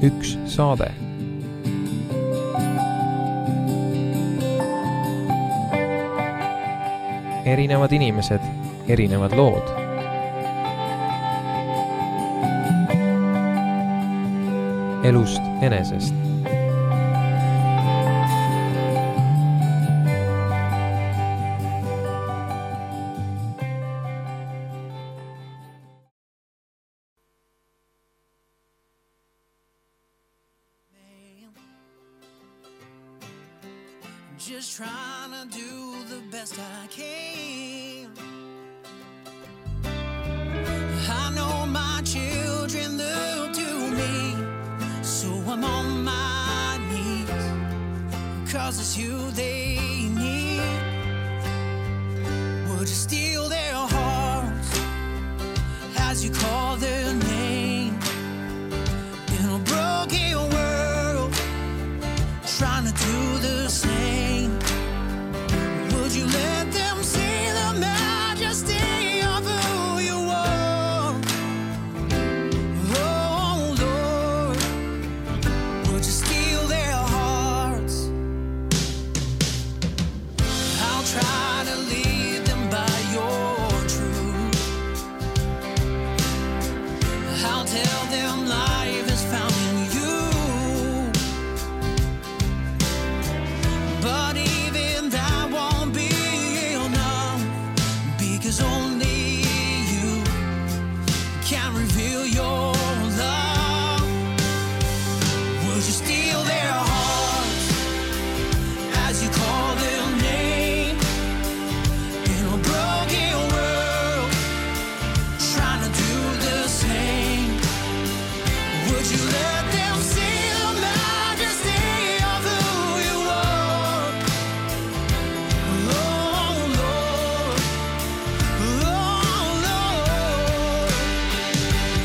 üks saade. Erinevad inimesed, erinevad lood. Elust enesest. Just trying to do the best I can. I know my children look to me, so I'm on my knees, 'cause it's you they need. Would you steal their hearts as you call their name in a broken world, trying to do the same? Would you let them see the majesty of who you are? Oh Lord, would you steal their hearts? I'll try to lead them by your truth. I'll tell them life is found in you. But even that won't be enough, because only you can reveal your love. Would you steal their hearts as you call their name in a broken world, trying to do the same? Would you let them see the majesty of who you are? Oh Lord,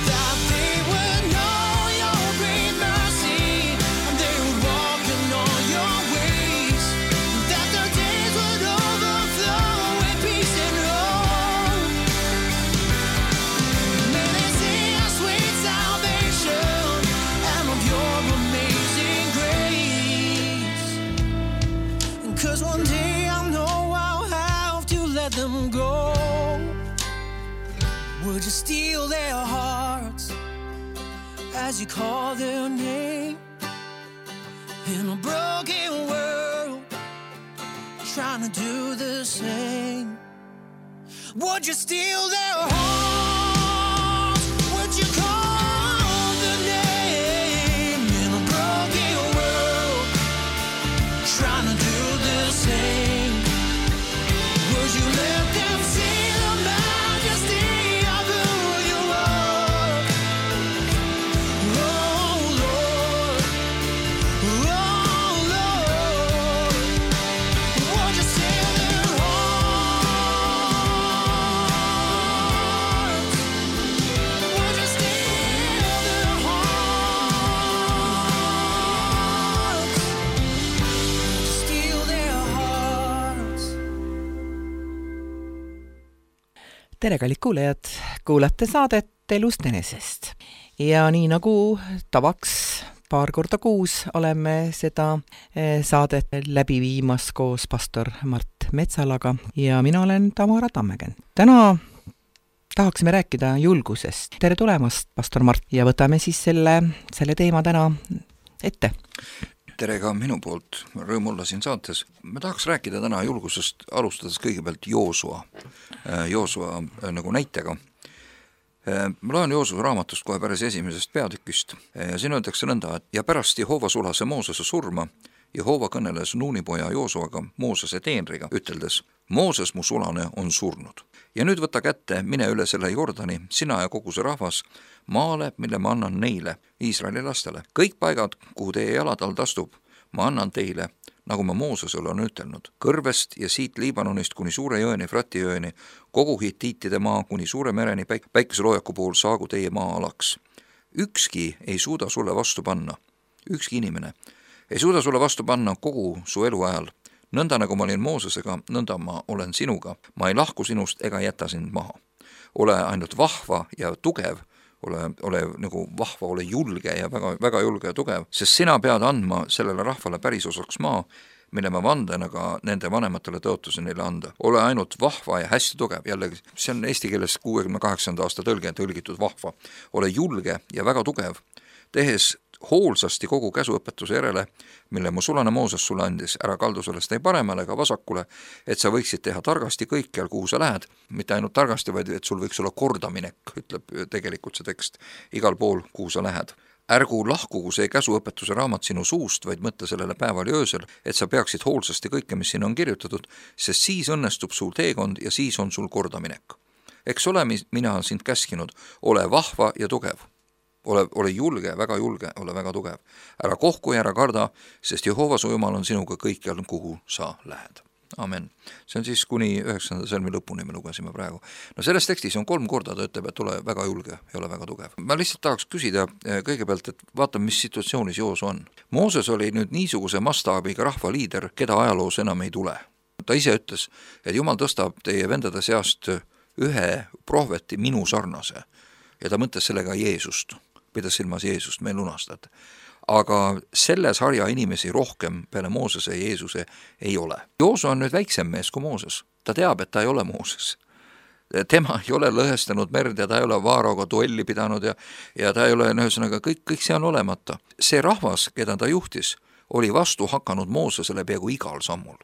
that they would know your great mercy, and they would walk in all your ways, that their days would overflow with peace and hope. May they see a sweet salvation and of your amazing grace. 'Cause one day I know I'll have to let them go. Would you steal their hearts as you call their name in a broken world, trying to do the same? Would you steal their hearts? Would you call the name in a broken world, trying to do the same? Would you let them see the majesty of who you are? Oh Lord, would you steal their hearts? Would you steal their hearts? Would you steal their hearts? Tere, kallid kuulajad, kuulate saadet Elust enesest. Ja nii nagu tavaks paar korda kuus oleme seda saadet läbi viimas koos pastor Mart Metsalaga ja mina olen Tamara Tammegen. Täna tahaksime rääkida julgusest. Tere tulemast, pastor Mart, ja võtame siis selle teema täna ette. Tere ka minu poolt, rõõm olla siin saates. Me tahaks rääkida täna julgusest, alustades kõigepealt Joosua nagu näitega. Ma loen Joosua raamatust kohe päris esimesest peatükist ja siin öeldakse nõnda, et ja pärast Jehova sulase Moosese surma, Jehova kõneles Nuuni poja Joosuaga, Moosese teenriga, üteldes, Mooses mu sulane on surnud. Ja nüüd võta kätte, mine üle selle Jordani, sina ja kogu see rahvas, maale, mille ma annan neile, Iisraeli lastele. Kõik paigad, kuhu teie jalad alt astub, ma annan teile, nagu ma Moosesele on ütelnud. Kõrvest ja siit Liibanonist kuni suure jõeni, Frati jõeni, kogu Hitiitide maa kuni suure mereni päikeseloojaku pool saagu teie maa alaks. Ükski ei suuda sulle vastu panna, ükski inimene ei suuda sulle vastu panna kogu su eluajal. Nõnda nagu ma olin Moosesega, nõnda ma olen sinuga. Ma ei lahku sinust ega jäta sind maha. Ole ainult vahva ja tugev, ole nagu vahva, ole julge ja väga, väga julge ja tugev, sest sina pead andma sellele rahvale pärisosaks maa, mille ma vandena ka nende vanematele tõotusin neile anda. Ole ainult vahva ja hästi tugev, jällegi see on eesti keeles 68. aasta tõlge tõlgitud vahva. Ole julge ja väga tugev, tehes hoolsasti kogu käsuõpetuse järele, mille mu sulane Mooses sulle andis, ära kaldu sellest ei paremale ega vasakule, et sa võiksid teha targasti kõikjal, kuhu sa lähed, mitte ainult targasti, vaid et sul võiks olla kordaminek, ütleb tegelikult see tekst, igal pool, kuhu sa lähed. Ärgu lahkugu see käsuõpetuse raamat sinu suust, vaid mõtle sellele päeval ja öösel, et sa peaksid hoolsasti kõike, mis siin on kirjutatud, sest siis õnnestub sul teekond ja siis on sul kordaminek. Eks ole, mina olen sind käskinud, ole vahva ja tugev. Ole julge, väga julge, ole väga tugev. Ära kohku ja ära karda, sest Jehova su Jumal on sinuga kõikjal, kuhu sa lähed. Amen. See on siis kuni 9. salmi lõpuni me lugesime praegu. No selles tekstis on 3 korda ta ütleb, et ole väga julge ja ole väga tugev. Ma lihtsalt tahaks küsida kõigepealt, et vaatame, mis situatsioonis Joosu on. Mooses oli nüüd niisuguse mastaabiga rahvaliider, keda ajaloos enam ei tule. Ta ise ütles, et Jumal tõstab teie vendade seast ühe prohveti minu sarnase ja ta mõtles sellega Jeesust, pidas silmas Jeesust, meil lunastajad. Aga selle sarja inimesi rohkem peale Moosese ja Jeesuse ei ole. Joosu on nüüd väiksem mees kui Mooses. Ta teab, et ta ei ole Mooses. Tema ei ole lõhestanud merd ja ta ei ole Vaaraoga duelli pidanud ja ta ei ole, ühesõnaga, kõik see on olemata. See rahvas, keda ta juhtis, oli vastu hakanud Moosesele peaaegu igal sammul.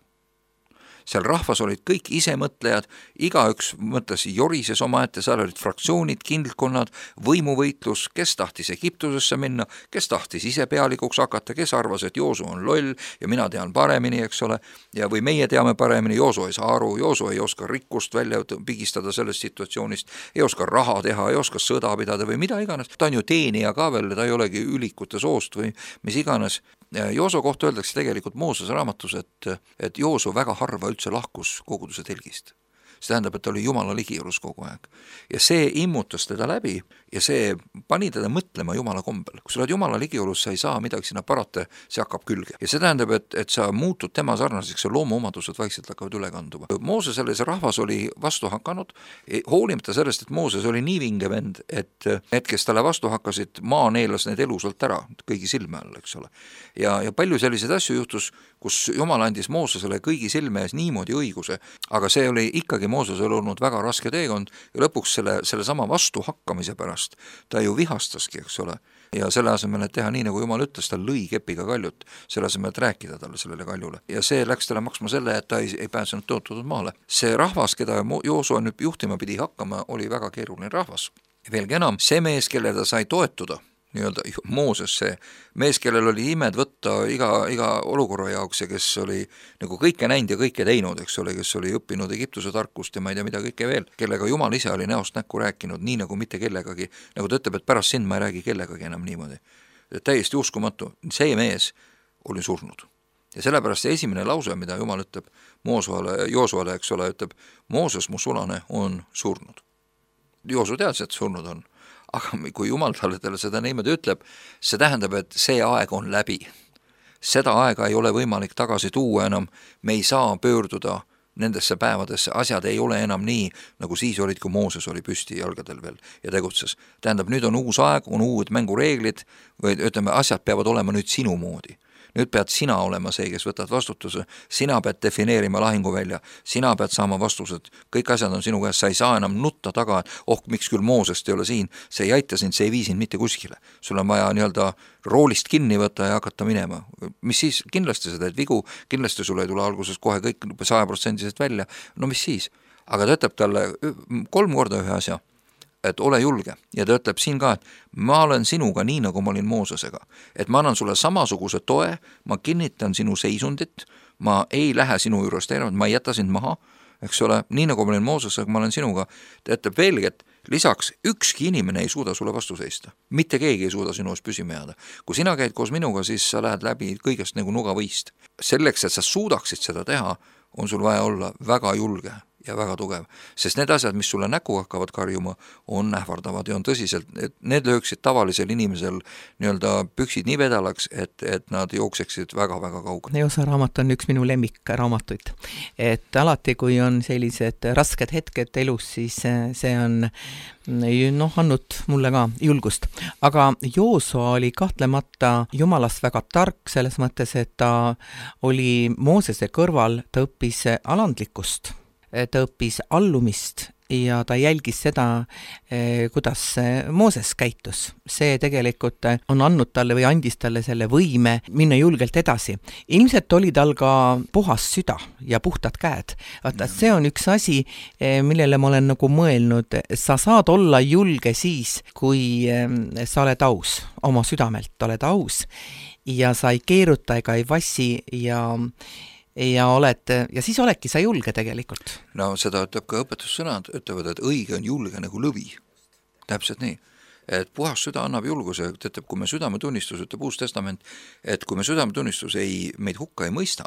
Seal rahvas olid kõik isemõtlejad, igaüks mõtles jorises oma ette, seal olid fraktsioonid, kindlkonnad, võimuvõitlus, kes tahtis Egiptusesse minna, kes tahtis ise pealikuks hakata, kes arvas, et Joosu on loll ja mina tean paremini, eks ole, ja või meie teame paremini, Joosu ei saa aru, Joosu ei oska rikkust välja pigistada sellest situatsioonist, ei oska raha teha, ei oska sõda pidada või mida iganes. Ta on ju teenija ka veel, ta ei olegi ülikute soost või mis iganes. Joosu kohta öeldakse tegelikult Moosese raamatus, et Joosu väga harva üldse lahkus koguduse telgist. See tähendab, et ta oli Jumala ligijuures kogu aeg. Ja see immutas teda läbi ja see pani teda mõtlema Jumala kombel. Kui sa oled Jumala ligijuures, sa ei saa midagi sinna parata, see hakkab külge. Ja see tähendab, et sa muutud tema sarnaseks ja loomuomadused vaikselt hakkavad üle kanduma. Moosesele see rahvas oli vastu hakanud, hoolimata sellest, et Mooses oli nii vinge vend, et need, kes talle vastu hakkasid, maa neelas need elusalt ära, kõigi silme all, eks ole. Ja palju selliseid asju juhtus, kus Jumal andis Moosesele kõigi silme ees niimoodi õiguse, aga see oli ikkagi Mooses oli olnud väga raske teekond ja lõpuks selle sama vastu hakkamise pärast ta ju vihastaski, eks ole. Ja selle asemel, et teha nii, nagu Jumal ütles, ta lõi kepiga kaljut, selle asemel, et rääkida talle sellele kaljule. Ja see läks talle maksma selle, et ta ei pääsenud tõotatud maale. See rahvas, keda Joosu nüüd juhtima pidi hakkama, oli väga keeruline rahvas. Ja veelgi enam, see mees, kelle ta sai toetuda, nii-öelda Mooses, see mees, kellel oli imed võtta iga olukorra jaoks ja kes oli nagu kõike näinud ja kõike teinud, eks ole, kes oli õppinud Egiptuse tarkust ja ma ei tea mida kõike veel, kellega Jumal ise oli näost näkku rääkinud, nii nagu mitte kellegagi, nagu ta ütleb, et pärast sind ma ei räägi kellegagi enam niimoodi. Täiesti uskumatu, see mees oli surnud. Ja sellepärast see esimene lause, mida Jumal ütleb Joosuale, eks ole, ütleb, Mooses, mu sulane, on surnud. Joosu teadis, et surnud on. Aga kui Jumal talle seda niimoodi ütleb, see tähendab, et see aeg on läbi. Seda aega ei ole võimalik tagasi tuua enam, me ei saa pöörduda nendesse päevadesse, asjad ei ole enam nii, nagu siis olid, kui Mooses oli püsti jalgadel veel ja tegutses. Tähendab, nüüd on uus aeg, on uued mängureeglid, või ütleme, asjad peavad olema nüüd sinu moodi. Nüüd pead sina olema see, kes võtad vastutuse, sina pead defineerima lahinguvälja, sina pead saama vastused, kõik asjad on sinu käes, sa ei saa enam nutta taga, et miks küll Moosest ei ole siin, see ei aita sind, see ei vii sind mitte kuskile. Sul on vaja nii-öelda roolist kinni võtta ja hakata minema. Mis siis? Kindlasti sa teed vigu, kindlasti sul ei tule alguses kohe kõik 100% välja, no mis siis? Aga ta ütleb talle 3 korda ühe asja, et ole julge ja ta ütleb siin ka, et ma olen sinuga nii, nagu ma olin Moosesega, et ma annan sulle samasuguse toe, ma kinnitan sinu seisundit, ma ei lähe sinu juurest ära, ma ei jäta sind maha, eks ole, nii nagu ma olin Moosesega, ma olen sinuga. Ta ütleb veelgi, et lisaks ükski inimene ei suuda sulle vastu seista, mitte keegi ei suuda sinu ees püsima jääda. Kui sina käid koos minuga, siis sa lähed läbi kõigest nagu nugavõist. Selleks, et sa suudaksid seda teha, on sul vaja olla väga julge ja väga tugev, sest need asjad, mis sulle näkku hakkavad karjuma, on ähvardavad ja on tõsiselt, et need lööksid tavalisel inimesel nii-öelda püksid nii vedalaks, et nad jookseksid väga-väga kaugele. Joosa raamat on üks minu lemmikraamatuid. Et alati, kui on sellised rasked hetked elus, siis see on andnud mulle ka julgust. Aga Joosua oli kahtlemata Jumalast väga tark selles mõttes, et ta oli Moosese kõrval, ta õppis alandlikkust, ta õppis allumist ja ta jälgis seda, kuidas Mooses käitus. See tegelikult on andnud talle või andis talle selle võime minna julgelt edasi. Ilmselt oli tal ka puhas süda ja puhtad käed. Vaata, see on üks asi, millele ma olen nagu mõelnud. Sa saad olla julge siis, kui sa oled aus, oma südamelt oled aus ja sa ei keeruta ega ei vassi ja siis oledki sa julge tegelikult. No seda ütleb ka õpetussõnad, ütlevad, et õige on julge nagu lõvi. Täpselt nii. Et puhas süda annab julguse, ütleb, kui me südametunnistus, ütleb Uus Testament, et kui me südametunnistus meid hukka ei mõista,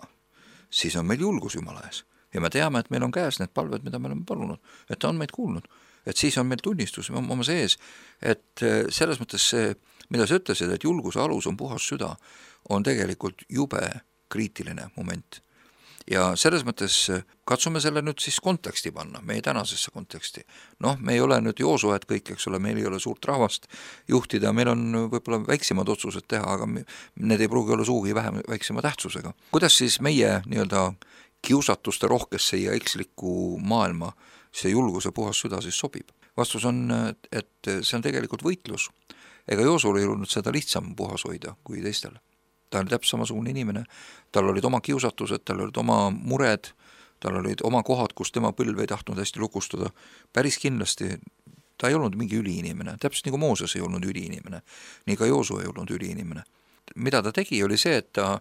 siis on meil julgus Jumala ees. Ja me teame, et meil on käes need palved, mida me oleme palunud, et ta on meid kuulnud. Et siis on meil tunnistus oma sees, et selles mõttes see, mida sa ütlesid, et julguse alus on puhas süda, on tegelikult jube kriitiline moment. Ja selles mõttes katsume selle nüüd siis konteksti panna, meie tänasesse konteksti. Me ei ole nüüd Joosued kõik, eks ole, meil ei ole suurt rahvast juhtida, meil on võib-olla väiksemad otsused teha, aga need ei pruugi olla suugi väiksema tähtsusega. Kuidas siis meie nii-öelda kiusatuste rohkesse ja eksliku maailma see julguse puhas süda siis sobib? Vastus on, et see on tegelikult võitlus. Ega Joosul ei olnud seda lihtsam puhas hoida kui teistel. Ta oli täpselt samasugune inimene, tal olid oma kiusatused, tal olid oma mured, tal olid oma kohad, kus tema põlv ei tahtnud hästi lukustada. Päris kindlasti ta ei olnud mingi üliinimene, täpselt nagu Mooses ei olnud üliinimene, nii ka Joosu ei olnud üliinimene. Mida ta tegi, oli see, et ta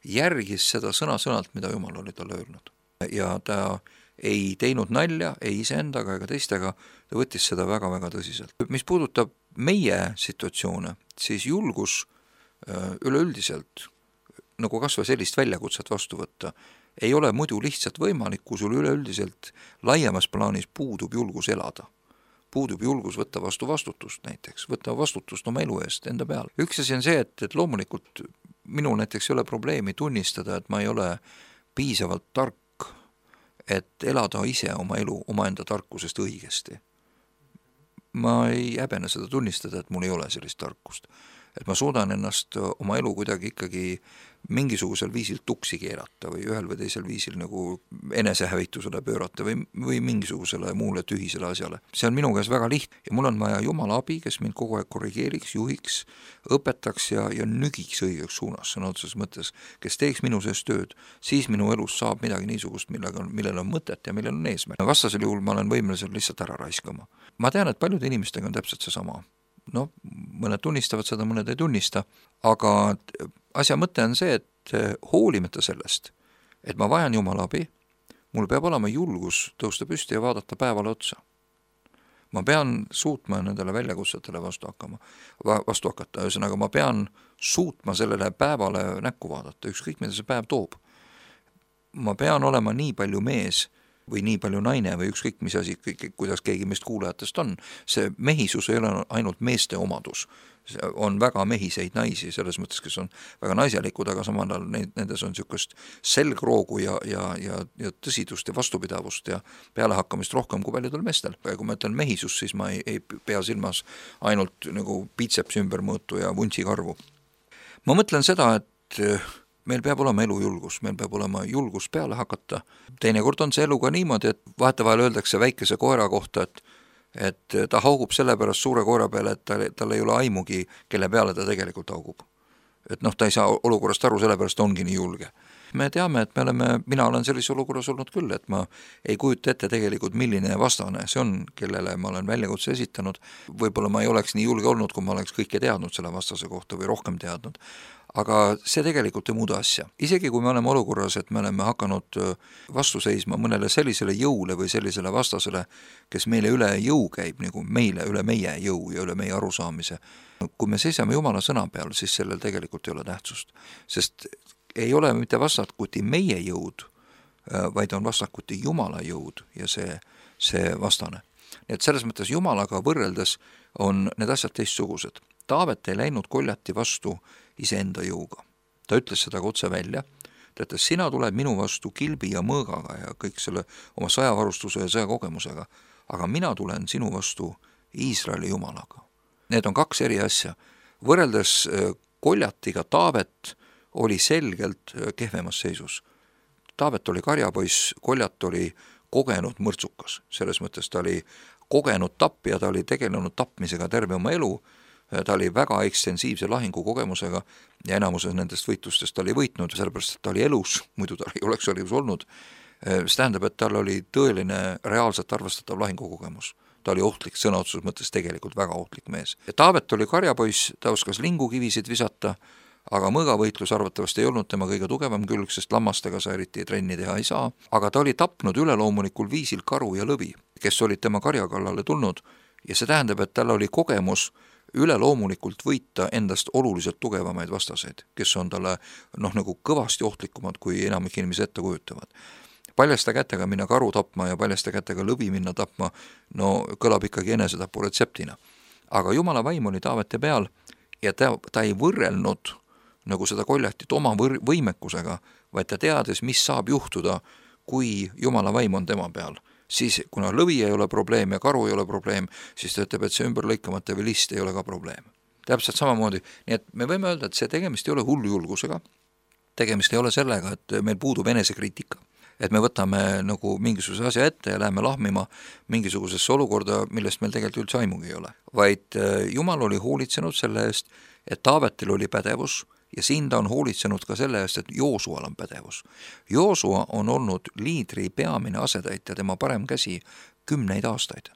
järgis seda sõna-sõnalt, mida Jumal oli talle öelnud. Ja ta ei teinud nalja, ei iseendaga ega teistega, ta võttis seda väga-väga tõsiselt. Mis puudutab meie situatsioone, siis julgus üleüldiselt, nagu kas või sellist väljakutset vastu võtta, ei ole muidu lihtsalt võimalik, kui sul üleüldiselt laiemas plaanis puudub julgus elada. Puudub julgus võtta vastu vastutust näiteks, võtta vastutust oma elu eest enda peal. Üks asi on see, et loomulikult minul näiteks ei ole probleemi tunnistada, et ma ei ole piisavalt tark, et elada ise oma elu omaenda tarkusest õigesti. Ma ei häbene seda tunnistada, et mul ei ole sellist tarkust. Et ma suudan ennast oma elu kuidagi ikkagi mingisugusel viisil tuksi keerata või ühel või teisel viisil nagu enesehävitusele pöörata või mingisugusele muule tühisele asjale. See on minu käes väga lihtne ja mul on vaja Jumala abi, kes mind kogu aeg korrigeeriks, juhiks, õpetaks ja nügiks õigeks suunas, sõna otseses mõttes, kes teeks minu sees tööd, siis minu elus saab midagi niisugust, millel on mõtet ja millel on eesmärk. Vastasel juhul ma olen võimelisel lihtsalt ära raiskama. Ma tean, et paljude inimestega on täpselt see sama. Mõned tunnistavad seda, mõned ei tunnista, aga asja mõte on see, et hoolimata sellest, et ma vajan Jumala abi, mul peab olema julgus tõusta püsti ja vaadata päevale otsa. Ma pean suutma nendele väljakutsetele vastu hakata, ühesõnaga ma pean suutma sellele päevale näkku vaadata, ükskõik mida see päev toob. Ma pean olema nii palju mees või nii palju naine või ükskõik mis asi, kuidas keegi meist kuulajatest on. See mehisus ei ole ainult meeste omadus. On väga mehiseid naisi, selles mõttes, kes on väga naiselikud, aga samal ajal nendes on niisugust selgroogu ja tõsidust ja vastupidavust ja pealehakkamist rohkem kui paljudel meestel. Kui ma ütlen mehisus, siis ma ei pea silmas ainult nagu biitsepsi ümbermõõtu ja vuntsi karvu. Ma mõtlen seda, et meil peab olema elujulgus, meil peab olema julgus peale hakata. Teinekord on see elu ka niimoodi, et vahetevahel öeldakse väikese koera kohta, et ta haugub sellepärast suure koera peale, et tal ei ole aimugi, kelle peale ta tegelikult haugub. Et ta ei saa olukorrast aru, sellepärast ongi nii julge. Me teame, et mina olen sellises olukorras olnud küll, et ma ei kujuta ette tegelikult, milline vastane see on, kellele ma olen väljakutse esitanud. Võib-olla ma ei oleks nii julge olnud, kui ma oleks kõike teadnud selle vastase kohta või rohkem teadnud. Aga see tegelikult ei muuda asja. Isegi kui me oleme olukorras, et me oleme hakanud vastu seisma mõnele sellisele jõule või sellisele vastasele, kes meile üle jõu käib, nagu meile üle meie jõu ja üle meie arusaamise. Kui me seisame Jumala sõna peal, siis sellel tegelikult ei ole tähtsust. Sest ei ole mitte vastatuti meie jõud, vaid on vastakuti Jumala jõud ja see vastane. Nii et selles mõttes Jumalaga võrreldes on need asjad teistsugused. Taavet ei läinud Goljati vastu iseenda jõuga. Ta ütles seda otse välja, ta ütles, sina tuled minu vastu kilbi ja mõõgaga ja kõik selle oma sõjavarustuse ja sõjakogemusega, aga mina tulen sinu vastu Iisraeli Jumalaga. Need on kaks eri asja. Võrreldes Goljatiga Taavet oli selgelt kehvemas seisus. Taavet oli karjapoiss, Goljat oli kogenud mõrtsukas. Selles mõttes ta oli kogenud tappija, ta oli tegelenud tapmisega terve oma elu, ta oli väga ekstensiivse lahingukogemusega ja enamuses nendest võitlustest ta oli võitnud, sellepärast et ta oli elus, muidu ta ei oleks elus olnud. See tähendab, et tal oli tõeline reaalselt arvestatav lahingukogemus. Ta oli ohtlik, sõnaotsus mõttes tegelikult väga ohtlik mees. Taavet oli karjapoiss, ta oskas lingukivisid visata, aga mõõgavõitlus arvatavasti ei olnud tema kõige tugevam külg, sest lammastega sa eriti trenni teha ei saa, aga ta oli tapnud üleloomulikul viisil karu ja lõvi, kes olid tema karjakallale tulnud ja see tähendab, et tal oli kogemus üleloomulikult võita endast oluliselt tugevamaid vastaseid, kes on talle nagu kõvasti ohtlikumad, kui enamik inimesi ette kujutavad. Paljasta kätega minna karu tapma ja paljasta kätega lõvi minna tapma, kõlab ikkagi enesetapu retseptina. Aga Jumala vaim oli Taavete peal ja ta ei võrrelnud nagu seda Goljatit oma võimekusega, vaid ta teades, mis saab juhtuda, kui Jumala vaim on tema peal. Siis, kuna lõvi ei ole probleem ja karu ei ole probleem, siis ta ütleb, et see ümberlõikamata või list ei ole ka probleem. Täpselt samamoodi, nii et me võime öelda, et see tegemist ei ole hullujulgusega, tegemist ei ole sellega, et meil puudub enesekriitika, et me võtame nagu mingisuguse asja ette ja läheme lahmima mingisugusesse olukorda, millest meil tegelikult üldse aimugi ei ole. Vaid Jumal oli hoolitsenud selle eest, et Taavetil oli pädevus ja siin ta on hoolitsenud ka selle eest, et Joosual on pädevus. Joosua on olnud liidri peamine asetäitja, tema parem käsi 10 aastaid.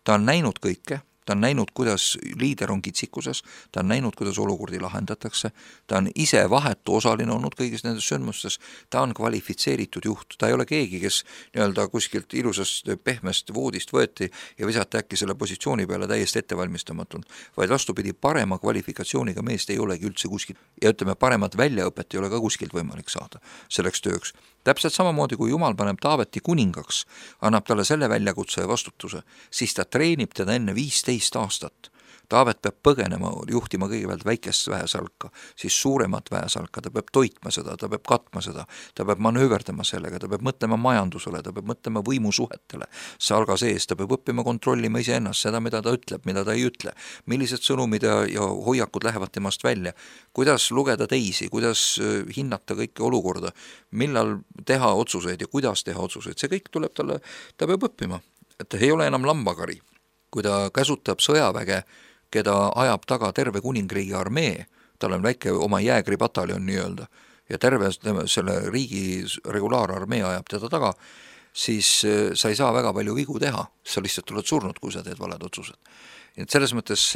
Ta on näinud kõike, ta on näinud, kuidas liider on kitsikuses, ta on näinud, kuidas olukordi lahendatakse, ta on ise vahetu osaline olnud kõigis nendes sündmustes, ta on kvalifitseeritud juht, ta ei ole keegi, kes kuskilt ilusast pehmest voodist võeti ja visati äkki selle positsiooni peale täiesti ettevalmistamatult, vaid vastupidi, parema kvalifikatsiooniga meest ei olegi üldse kuskilt ja ütleme, paremat väljaõpet ei ole ka kuskilt võimalik saada selleks tööks. Täpselt samamoodi, kui Jumal paneb Taaveti kuningaks, annab talle selle väljakutse ja vastutuse, siis ta treenib teda enne 15 aastat. Taavet peab põgenema, juhtima kõigepealt väikest väesalka, siis suuremat väesalka, ta peab toitma seda, ta peab katma seda, ta peab manööverdama sellega, ta peab mõtlema majandusele, ta peab mõtlema võimusuhetele, salga sees, ta peab õppima kontrollima iseennast, seda, mida ta ütleb, mida ta ei ütle, millised sõnumid ja hoiakud lähevad temast välja, kuidas lugeda teisi, kuidas hinnata kõike olukorda, millal teha otsuseid ja kuidas teha otsuseid, see kõik tuleb talle, ta peab õppima, et ei ole enam lambakari, kui ta käsutab sõjaväge, keda ajab taga terve kuningriigi armee, tal on väike oma jäägripataljon nii-öelda, ja terve selle riigi regulaararmee ajab teda taga, siis sa ei saa väga palju vigu teha, sa lihtsalt oled surnud, kui sa teed valed otsused. Et selles mõttes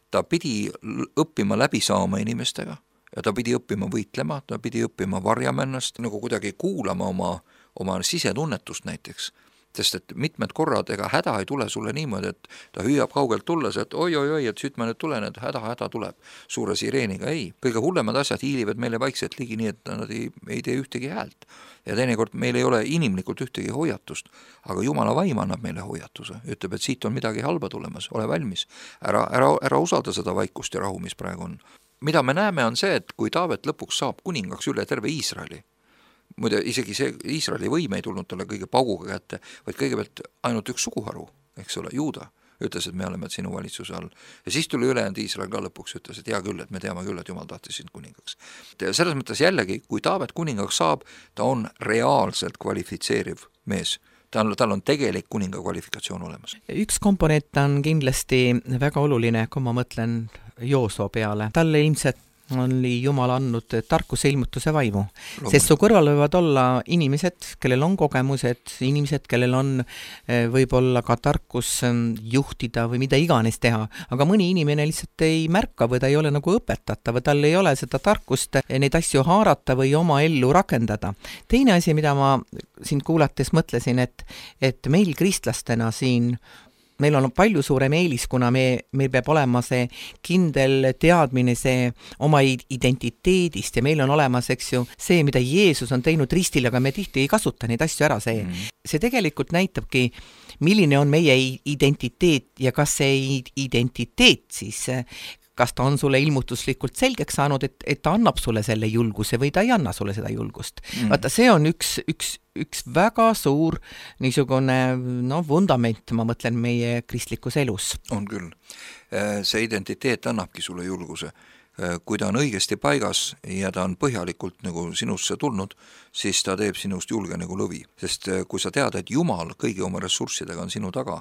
ta pidi õppima läbi saama inimestega ja ta pidi õppima võitlema, ta pidi õppima varjama ennast, nagu kuidagi kuulama oma sisetunnetust näiteks. Sest et mitmed korrad, ega häda ei tule sulle niimoodi, et ta hüüab kaugelt tulles, et oi, et süüt ma nüüd tulen, et häda tuleb suure sireeniga. Ei, kõige hullemad asjad hiilivad meile vaikselt ligi nii, et nad ei tee ühtegi häält. Ja teinekord meil ei ole inimlikult ühtegi hoiatust, aga Jumala vaim annab meile hoiatuse. Ütleb, et siit on midagi halba tulemas, ole valmis. Ära usalda seda vaikust ja rahu, mis praegu on. Mida me näeme on see, et kui Taavet lõpuks saab kuningaks üle terve Iisraeli, muide, isegi see Iisraeli võim ei tulnud talle kõige pauguga kätte, vaid kõigepealt ainult üks suguharu, eks ole, Juuda, ütles, et me oleme sinu valitsuse all. Ja siis tuli ülejäänud Iisrael ka lõpuks, ütles, et hea küll, et me teame küll, et Jumal tahtis sind kuningaks. Selles mõttes jällegi, kui Taavet kuningaks saab, ta on reaalselt kvalifitseeriv mees. Tal on tegelik kuninga kvalifikatsioon olemas. Üks komponent on kindlasti väga oluline, kui ma mõtlen Joosua peale. Talle ilmselt oli Jumal andnud tarkuse ilmutuse vaimu, sest su kõrval võivad olla inimesed, kellel on kogemused, inimesed, kellel on võib-olla ka tarkus juhtida või mida iganes teha, aga mõni inimene lihtsalt ei märka või ta ei ole nagu õpetata või tal ei ole seda tarkust neid asju haarata või oma ellu rakendada. Teine asi, mida ma sind kuulates mõtlesin, et meil kristlastena siin meil on palju suurem eelis, kuna meil peab olema see kindel teadmine see oma identiteedist ja meil on olemas, eks ju, see, mida Jeesus on teinud ristil, aga me tihti ei kasuta neid asju ära, see tegelikult näitabki, milline on meie identiteet ja kas see identiteet siis, kas ta on sulle ilmutuslikult selgeks saanud, et ta annab sulle selle julguse või ta ei anna sulle seda julgust. Vaata, see on üks väga suur niisugune vundament, ma mõtlen, meie kristlikus elus. On küll. See identiteet annabki sulle julguse. Kui ta on õigesti paigas ja ta on põhjalikult nagu sinusse tulnud, siis ta teeb sinust julge nagu lõvi. Sest kui sa tead, et Jumal kõigi oma ressurssidega on sinu taga,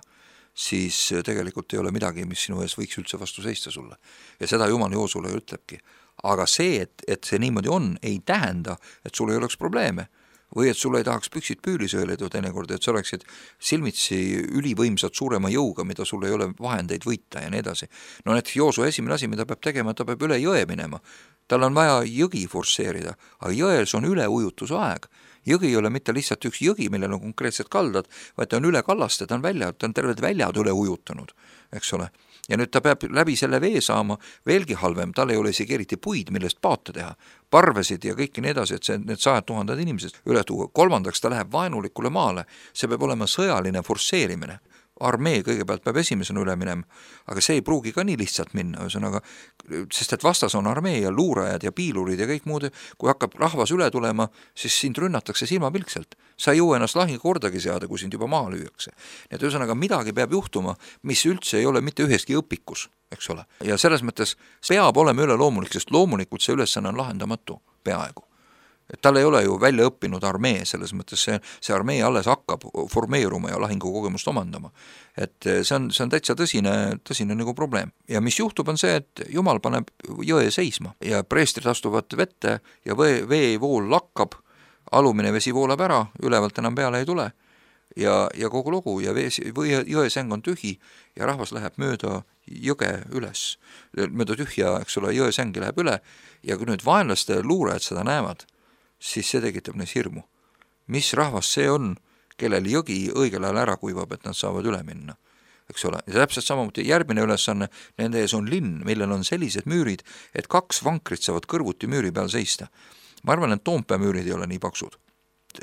siis tegelikult ei ole midagi, mis sinu ees võiks üldse vastu seista sulle. Ja seda Jumal Joosule ütlebki. Aga see, et see niimoodi on, ei tähenda, et sul ei oleks probleeme või et sul ei tahaks püksid püülis ööledu teinekord, et sa oleksid silmitsi ülivõimsad suurema jõuga, mida sul ei ole vahendeid võita ja nii edasi. No need Joosu esimene asi, mida peab tegema, ta peab üle jõe minema. Tal on vaja jõgi forsseerida, aga jões on üleujutuse aeg. Jõgi ei ole mitte lihtsalt üks jõgi, millel on konkreetsed kaldad, vaid ta on üle kallaste, ta on terved väljad üle ujutanud, eks ole. Ja nüüd ta peab läbi selle vee saama veelgi halvem, tal ei ole isegi eriti puid, millest paate teha, parvesid ja kõiki nii edasi, et need 100 000 inimesed üle tuua. Kolmandaks ta läheb vaenulikule maale, see peab olema sõjaline forsseerimine. Armee kõigepealt peab esimesena üle minema, aga see ei pruugi ka nii lihtsalt minna, sest et vastas on armee ja luurajad ja piilurid ja kõik muud, kui hakkab rahvas üle tulema, siis sind rünnatakse silmapilkselt. Sa ei jõua ennast lahingu kordagi seada, kui sind juba maha lüüakse. Nii et ühesõnaga midagi peab juhtuma, mis üldse ei ole mitte üheski õpikus, eks ole. Ja selles mõttes peab olema üle loomulik, sest loomulikult see ülesanne on lahendamatu peaaegu. Et tal ei ole ju välja õppinud armee, selles mõttes see armee alles hakkab formeeruma ja lahingukogemust omandama. Et see on täitsa tõsine nagu probleem. Ja mis juhtub on see, et Jumal paneb jõe seisma ja preestrid astuvad vette ja veevool lakkab, alumine vesi voolab ära, ülevalt enam peale ei tule ja kogu lugu ja jõesäng on tühi ja rahvas läheb mööda jõge üles, mööda tühja, eks ole, jõesängi läheb üle ja kui nüüd vaenlaste luurajad seda näevad, siis see tekitab neis hirmu. Mis rahvas see on, kellel jõgi õigel ajal ära kuivab, et nad saavad üle minna, eks ole. Ja täpselt samamoodi järgmine ülesanne, nende ees on linn, millel on sellised müürid, et 2 vankrit saavad kõrvuti müüri peal seista. Ma arvan, et Toompea müürid ei ole nii paksud.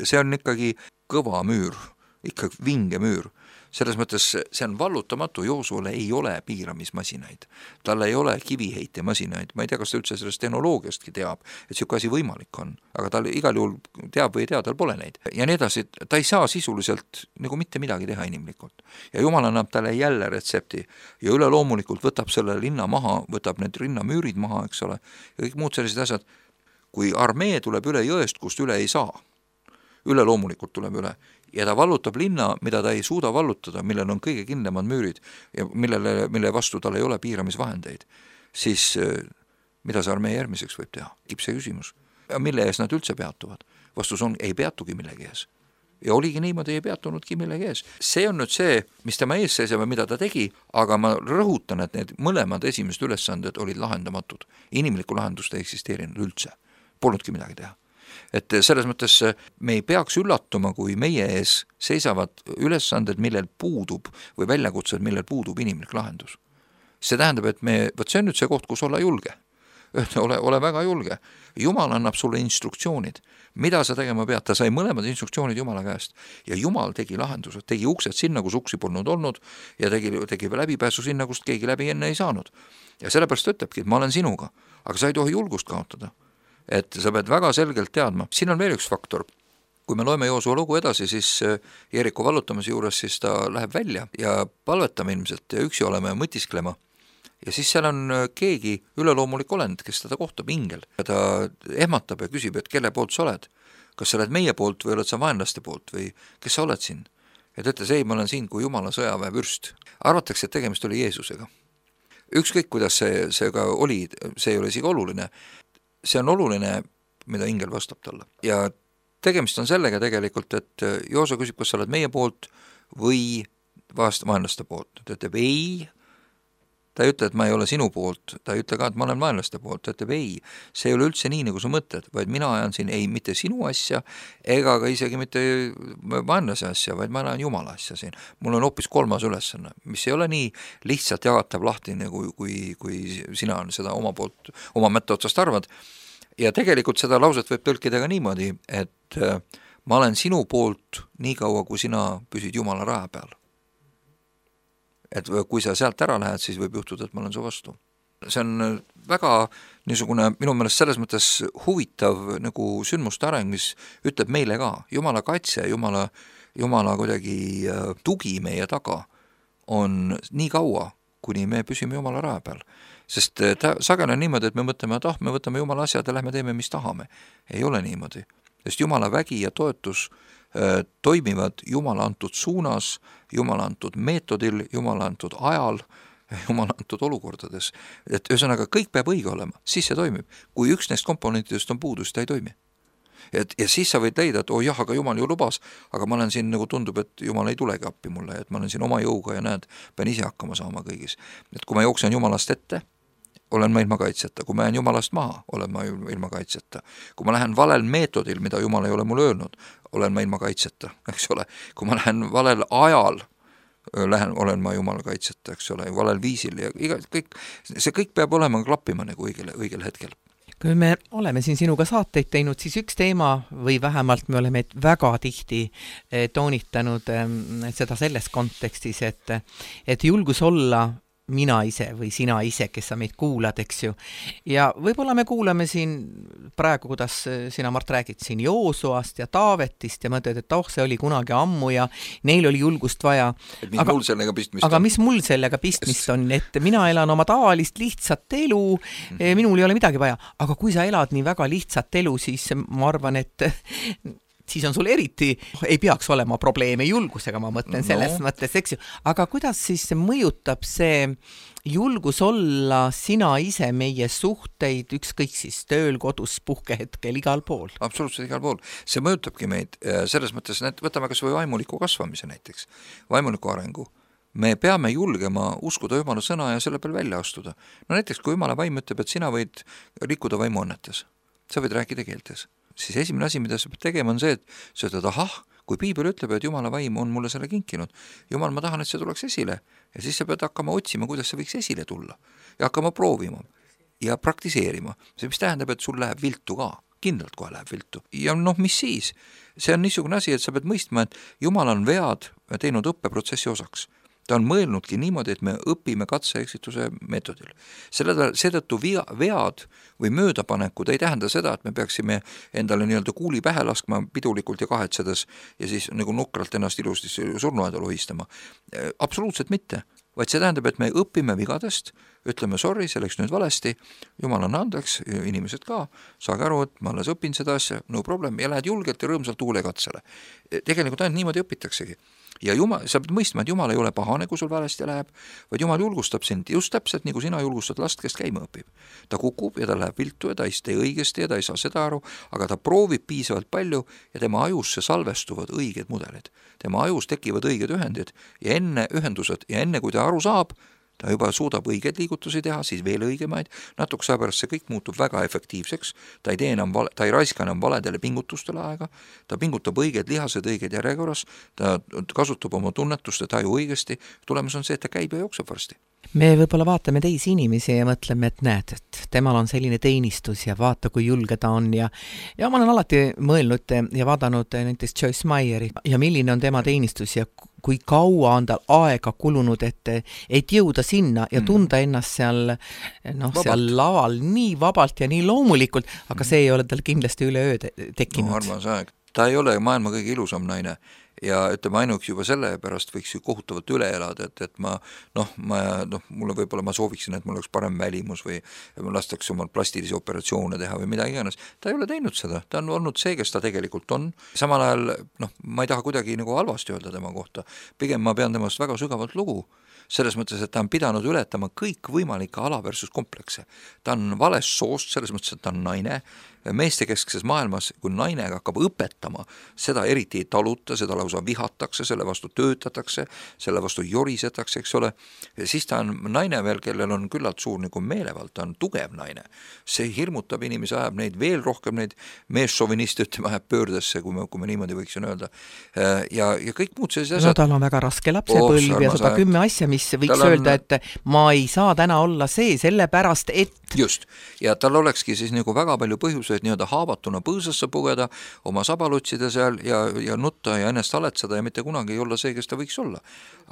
See on ikkagi kõva müür, ikka vinge müür. Selles mõttes see on vallutamatu, Joosuele ei ole piiramismasinaid. Tal ei ole kiviheitemasinaid. Ma ei tea, kas ta üldse sellest tehnoloogiastki teab, et siuke asi võimalik on. Aga tal igal juhul teab või ei tea, tal pole neid. Ja nii edasi, ta ei saa sisuliselt nagu mitte midagi teha inimlikult. Ja Jumal annab talle jälle retsepti. Ja üle loomulikult võtab selle linna maha, võtab need rinnamüürid maha, eks ole. Ja kõik muud sellised asjad. Kui armee tuleb üle jõest, kust üle ei saa, üle loomulikult tuleb üle, ja ta vallutab linna, mida ta ei suuda vallutada, millel on kõige kindlamad müürid ja mille vastu tal ei ole piiramisvahendeid, siis mida see armee järgmiseks võib teha? See küsimus. Ja mille ees nad üldse peatuvad? Vastus on, ei peatugi millegi ees. Ja oligi niimoodi, ei peatunudki millegi ees. See on nüüd see, mis tema ees seisab ja mida ta tegi, aga ma rõhutan, et need mõlemad esimesed ülesanded olid lahendamatud. Inimlikku lahendust ei eksisteerinud üldse. Polnudki midagi teha. Et selles mõttes me ei peaks üllatuma, kui meie ees seisavad ülesanded, millel puudub või väljakutsed, millel puudub inimlik lahendus. See tähendab, et see on nüüd see koht, kus olla julge. Ole väga julge. Jumal annab sulle instruktsioonid. Mida sa tegema pead? Ta sai mõlemad instruktsioonid Jumala käest. Ja Jumal tegi lahendused, tegi uksed sinna, kus uksi polnud olnud ja tegi läbipääsu sinna, kust keegi läbi enne ei saanud. Ja sellepärast ütlebki, et ma olen sinuga, aga sa ei tohi julgust kaotada. Et sa pead väga selgelt teadma. Siin on veel üks faktor. Kui me loeme Joosua lugu edasi, siis Jeeriku vallutamise juures siis ta läheb välja ja palvetame ilmselt ja üksi oleme mõtisklema. Ja siis seal on keegi üleloomulik olend, kes teda kohtab, ingel. Ja ta ehmatab ja küsib, et kelle poolt sa oled. Kas sa oled meie poolt või oled sa vaenlaste poolt või kes sa oled siin? Ja ta ütles, ei, ma olen siin kui Jumala sõjaväe vürst. Arvatakse, et tegemist oli Jeesusega. Ükskõik, kuidas see ka oli, see ei ole isegi oluline. See on oluline, mida ingel vastab talle. Ja tegemist on sellega tegelikult, et Joosua küsib, kas sa oled meie poolt või vaenlaste poolt. Ta ütleb ei, ta ei ütle, et ma ei ole sinu poolt, ta ei ütle ka, et ma olen vaenlaste poolt, ta ütleb ei, see ei ole üldse nii, nagu sa mõtled, vaid mina ajan siin ei mitte sinu asja, ega ka isegi mitte vaenlase asja, vaid ma ajan Jumala asja siin. Mul on hoopis kolmas ülesanne, mis ei ole nii lihtsalt jagatav lahti, kui sina seda oma mätta otsast arvad. Ja tegelikult seda lauset võib tõlkida ka niimoodi, et ma olen sinu poolt nii kaua, kui sina püsid Jumala raja peal. Et kui sa sealt ära lähed, siis võib juhtuda, et ma olen su vastu. See on väga niisugune minu meelest selles mõttes huvitav nagu sündmuste areng, mis ütleb meile ka, Jumala kaitse, Jumala kuidagi tugi meie taga on nii kaua, kuni me püsime Jumala raja peal. Sest sageli on niimoodi, et me mõtleme, et me võtame Jumala asjad ja lähme teeme, mis tahame. Ei ole niimoodi. Sest Jumala vägi ja toetus toimivad Jumala antud suunas, Jumala antud meetodil, Jumala antud ajal, Jumala antud olukordades. Et ühesõnaga kõik peab õige olema, siis see toimib. Kui üks neist komponentidest on puudu, siis ta ei toimi. Ja siis sa võid leida, et aga Jumal ju lubas, aga ma olen siin nagu tundub, et Jumal ei tulegi appi mulle, et ma olen siin oma jõuga ja näed, pean ise hakkama saama kõigis. Et kui ma jooksen Jumalast ette, olen ma ilma kaitseta, kui ma jään Jumalast maha, olen ma ilma kaitseta. Kui ma lähen valel meetodil, mida Jumal ei ole mulle öelnud, olen ma ilma kaitseta, eks ole. Kui ma lähen valel ajal, olen ma Jumala kaitseta, eks ole, valel viisil ja see kõik peab olema klappima nagu õigel hetkel. Kui me oleme siin sinuga saateid teinud, siis üks teema või vähemalt me oleme väga tihti toonitanud seda selles kontekstis, et julgus olla mina ise või sina ise, kes sa meid kuulad, eks ju. Ja võib-olla me kuulame siin praegu, kuidas sina, Mart, räägid siin Joosuast ja Taavetist ja mõtled, et see oli kunagi ammu ja neil oli julgust vaja. Aga mis mul sellega pistmist on, et mina elan oma tavalist lihtsat elu, minul ei ole midagi vaja. Aga kui sa elad nii väga lihtsat elu, siis ma arvan, et siis on sul eriti, ei peaks olema probleeme julgusega, ma mõtlen selles mõttes, eks ju. Aga kuidas siis mõjutab see julgus olla sina ise meie suhteid, ükskõik siis tööl, kodus, puhkehetkel, igal pool? Absoluutselt igal pool. See mõjutabki meid selles mõttes, et võtame kas või vaimuliku kasvamise näiteks, vaimuliku arengu. Me peame julgema uskuda Jumala sõna ja selle peal välja astuda. No näiteks, kui Jumala vaim ütleb, et sina võid rikkuda vaimuannetes, sa võid rääkida keeltes, siis esimene asi, mida sa pead tegema, on see, et sa ütled, kui Piibel ütleb, et Jumala vaim on mulle selle kinkinud, Jumal, ma tahan, et see tuleks esile ja siis sa pead hakkama otsima, kuidas see võiks esile tulla ja hakkama proovima ja praktiseerima. See, mis tähendab, et sul läheb viltu ka, kindlalt kohe läheb viltu. Ja mis siis? See on niisugune asi, et sa pead mõistma, et Jumal on vead teinud õppeprotsessi osaks. Ta on mõelnudki niimoodi, et me õpime katse-eksituse meetodil. Seetõttu vead või möödapanekud ei tähenda seda, et me peaksime endale nii-öelda kuuli pähe laskma pidulikult ja kahetsedes ja siis nagu nukralt ennast ilusti surnuaeda lohistama. Absoluutselt mitte. Vaid see tähendab, et me õpime vigadest, ütleme sorry, see läks nüüd valesti, Jumal on andeks, inimesed ka, saage aru, et ma alles õpin seda asja, no problem, ja lähed julgelt ja rõõmsalt tuule katsele. Tegelikult ainult niimoodi õpitaksegi. Ja Jumal, sa pead mõistma, et Jumal ei ole pahane, kui sul valesti läheb, vaid Jumal julgustab sind just täpselt, nii kui sina julgustad last, kes käima õpib. Ta kukub ja ta läheb viltu ja ta ei tee õigesti ja ta ei saa seda aru, aga ta proovib piisavalt palju ja tema ajusse salvestuvad õiged mudelid. Tema ajus tekivad õiged ühendid ja enne ühendused ja enne kui ta aru saab, ta juba suudab õigeid liigutusi teha, siis veel õigemaid, natuke saa pärast see kõik muutub väga efektiivseks, ta ei raiska enam valedele pingutustele aega, ta pingutab õiged lihased, õiged järjekorras, ta kasutab oma tunnetuste taju õigesti, tulemus on see, et ta käib ja jookseb varsti. Me võib-olla vaatame teisi inimesi ja mõtleme, et näed, et temal on selline teenistus ja vaata, kui julge ta on ja ma olen alati mõelnud ja vaadanud näiteks Joyce Meyeri ja milline on tema teenistus ja kui kaua on tal aega kulunud, et jõuda sinna ja tunda ennast seal laval nii vabalt ja nii loomulikult, aga see ei ole tal kindlasti üleöö tekkinud. Armas aeg. Ta ei ole maailma kõige ilusam naine ja ütleme ainuks juba selle pärast võiks ju kohutavalt üle elada, et mulle võib-olla ma sooviksin, et mul oleks parem välimus või ma lastaks omal plastilisi operatsioone teha või mida iganes. Ta ei ole teinud seda, ta on olnud see, kes ta tegelikult on. Samal ajal, ma ei taha kuidagi nagu halvasti öelda tema kohta, pigem ma pean temast väga sügavalt lugu. Selles mõttes, et ta on pidanud ületama kõik võimalikke ala versus komplekse. Ta on valest soost, selles mõttes, et ta on naine, meestekeskses maailmas, kui naine hakkab õpetama, seda eriti ei taluta, seda lausa vihatakse, selle vastu töötatakse, selle vastu jorisetakse, eks ole, siis ta on naine veel, kellel on küllalt suur nagu meelevald, ta on tugev naine. See hirmutab inimesi, ajab neid veel rohkem, neid meessoviniste, ütleme, ajab pöördesse, kui me niimoodi võiksin öelda. Ja kõik muud sellised asjad. No tal on väga raske lapsepõlv ja 110 asja, mis võiks öelda, et ma ei saa täna olla see, sellepärast, et... Just, ja tal olekski siis nagu väga palju põhjuseid nii-öelda haavatuna põõsasse pugeda, oma sabalutsida seal ja nutta ja ennast aletseda ja mitte kunagi ei olla see, kes ta võiks olla.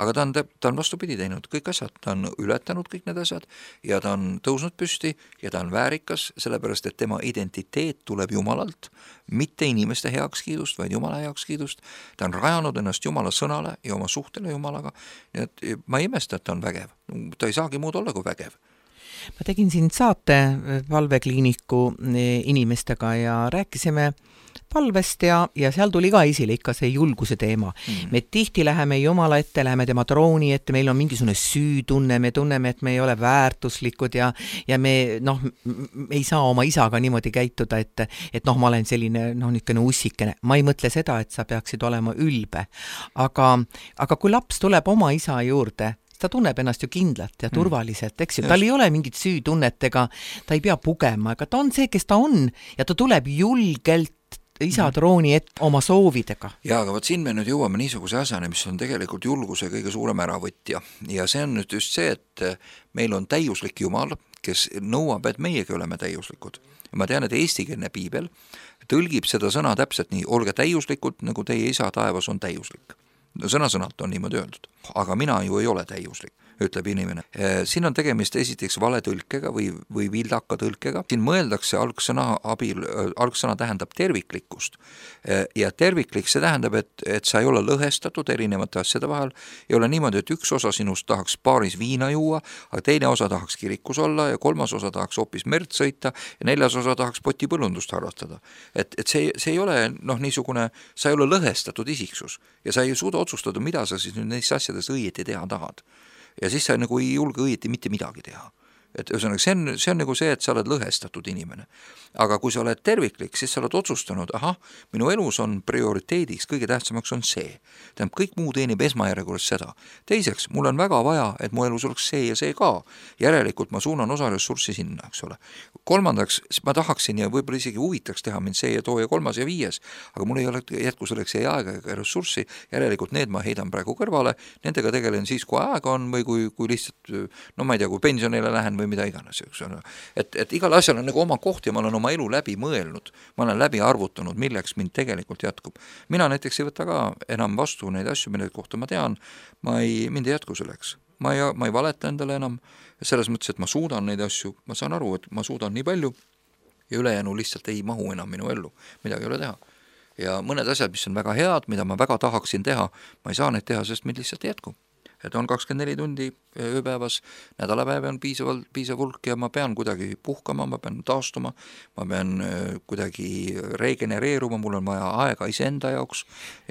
Aga ta on vastupidi teinud kõik asjad, ta on ületanud kõik need asjad ja ta on tõusnud püsti ja ta on väärikas, sellepärast et tema identiteet tuleb Jumalalt, mitte inimeste heakskiidust, vaid Jumala heakskiidust. Ta on rajanud ennast Jumala sõnale ja oma suhtele Jumalaga. Nii et ma ei imesta, et ta on vägev. Ta ei saagi muud olla kui vägev. Ma tegin siin saate palvekliiniku inimestega ja rääkisime palvest ja seal tuli ka esile ikka see julguse teema. Me tihti läheme Jumala ette, läheme tema trooni ette, meil on mingisugune süütunne, me tunneme, et me ei ole väärtuslikud ja me ei saa oma isaga niimoodi käituda, et ma olen selline niisugune ussikene. Ma ei mõtle seda, et sa peaksid olema ülbe. Aga kui laps tuleb oma isa juurde, ta tunneb ennast ju kindlalt ja turvaliselt, eks ju, tal ei ole mingit süütunnetega, ta ei pea pugema, aga ta on see, kes ta on ja ta tuleb julgelt isa trooni ette oma soovidega. Ja, aga siin me nüüd jõuame niisuguse asjani, mis on tegelikult julguse kõige suurem äravõtja ja see on nüüd just see, et meil on täiuslik Jumal, kes nõuab, et meiegi oleme täiuslikud. Ma tean, et eestikeelne piibel tõlgib seda sõna täpselt nii, olge täiuslikud, nagu teie isa taevas on täiuslik. Sõna-sõnalt on niimoodi öeldud, aga mina ju ei ole täiuslik, ütleb inimene. Siin on tegemist esiteks valetõlkega või vildaka tõlkega. Siin mõeldakse algsõna tähendab terviklikkust ja terviklik see tähendab, et sa ei ole lõhestatud erinevate asjade vahel, ei ole niimoodi, et üks osa sinust tahaks baaris viina juua, aga teine osa tahaks kirikus olla ja kolmas osa tahaks hoopis merd sõita ja neljas osa tahaks potipõllundust harrastada. Et see ei ole niisugune, sa ei ole lõhestatud isiksus ja sa ei suuda otsustada, mida sa siis nüüd neist asjadest õieti teha tahad. Ja siis sa nagu ei julge õieti mitte midagi teha. Et ühesõnaga, see on nagu see, et sa oled lõhestatud inimene. Aga kui sa oled terviklik, siis sa oled otsustanud, minu elus on prioriteediks, kõige tähtsamaks on see. Tähendab, kõik muu teenib esmajärjekorras seda. Teiseks, mul on väga vaja, et mu elus oleks see ja see ka. Järelikult ma suunan osa ressurssi sinna, eks ole. Kolmandaks, ma tahaksin ja võib-olla isegi huvitaks teha mind see ja too ja kolmas ja viies, aga mul ei ole jätku selleks ei aega ega ressurssi, järelikult need ma heidan praegu kõrvale, nendega tegelen siis, kui aega on või kui lihtsalt, ma ei tea, kui pensionile lähen või mida iganes, eks ole. Et igal asjal on nagu oma koht ja ma olen oma elu läbi mõelnud, ma olen läbi arvutanud, milleks mind tegelikult jätkub. Mina näiteks ei võta ka enam vastu neid asju, mille kohta ma tean, mind ei jätku selleks. Ma ei valeta endale enam, selles mõttes, et ma suudan neid asju, ma saan aru, et ma suudan nii palju ja ülejäänu lihtsalt ei mahu enam minu ellu, midagi ei ole teha. Ja mõned asjad, mis on väga head, mida ma väga tahaksin teha, ma ei saa neid teha, sest mind lihtsalt ei jätku. Et on 24 tundi ööpäevas, nädalapäev on piisav hulk ja ma pean kuidagi puhkama, ma pean taastuma, ma pean kuidagi regenereeruma, mul on vaja aega iseenda jaoks.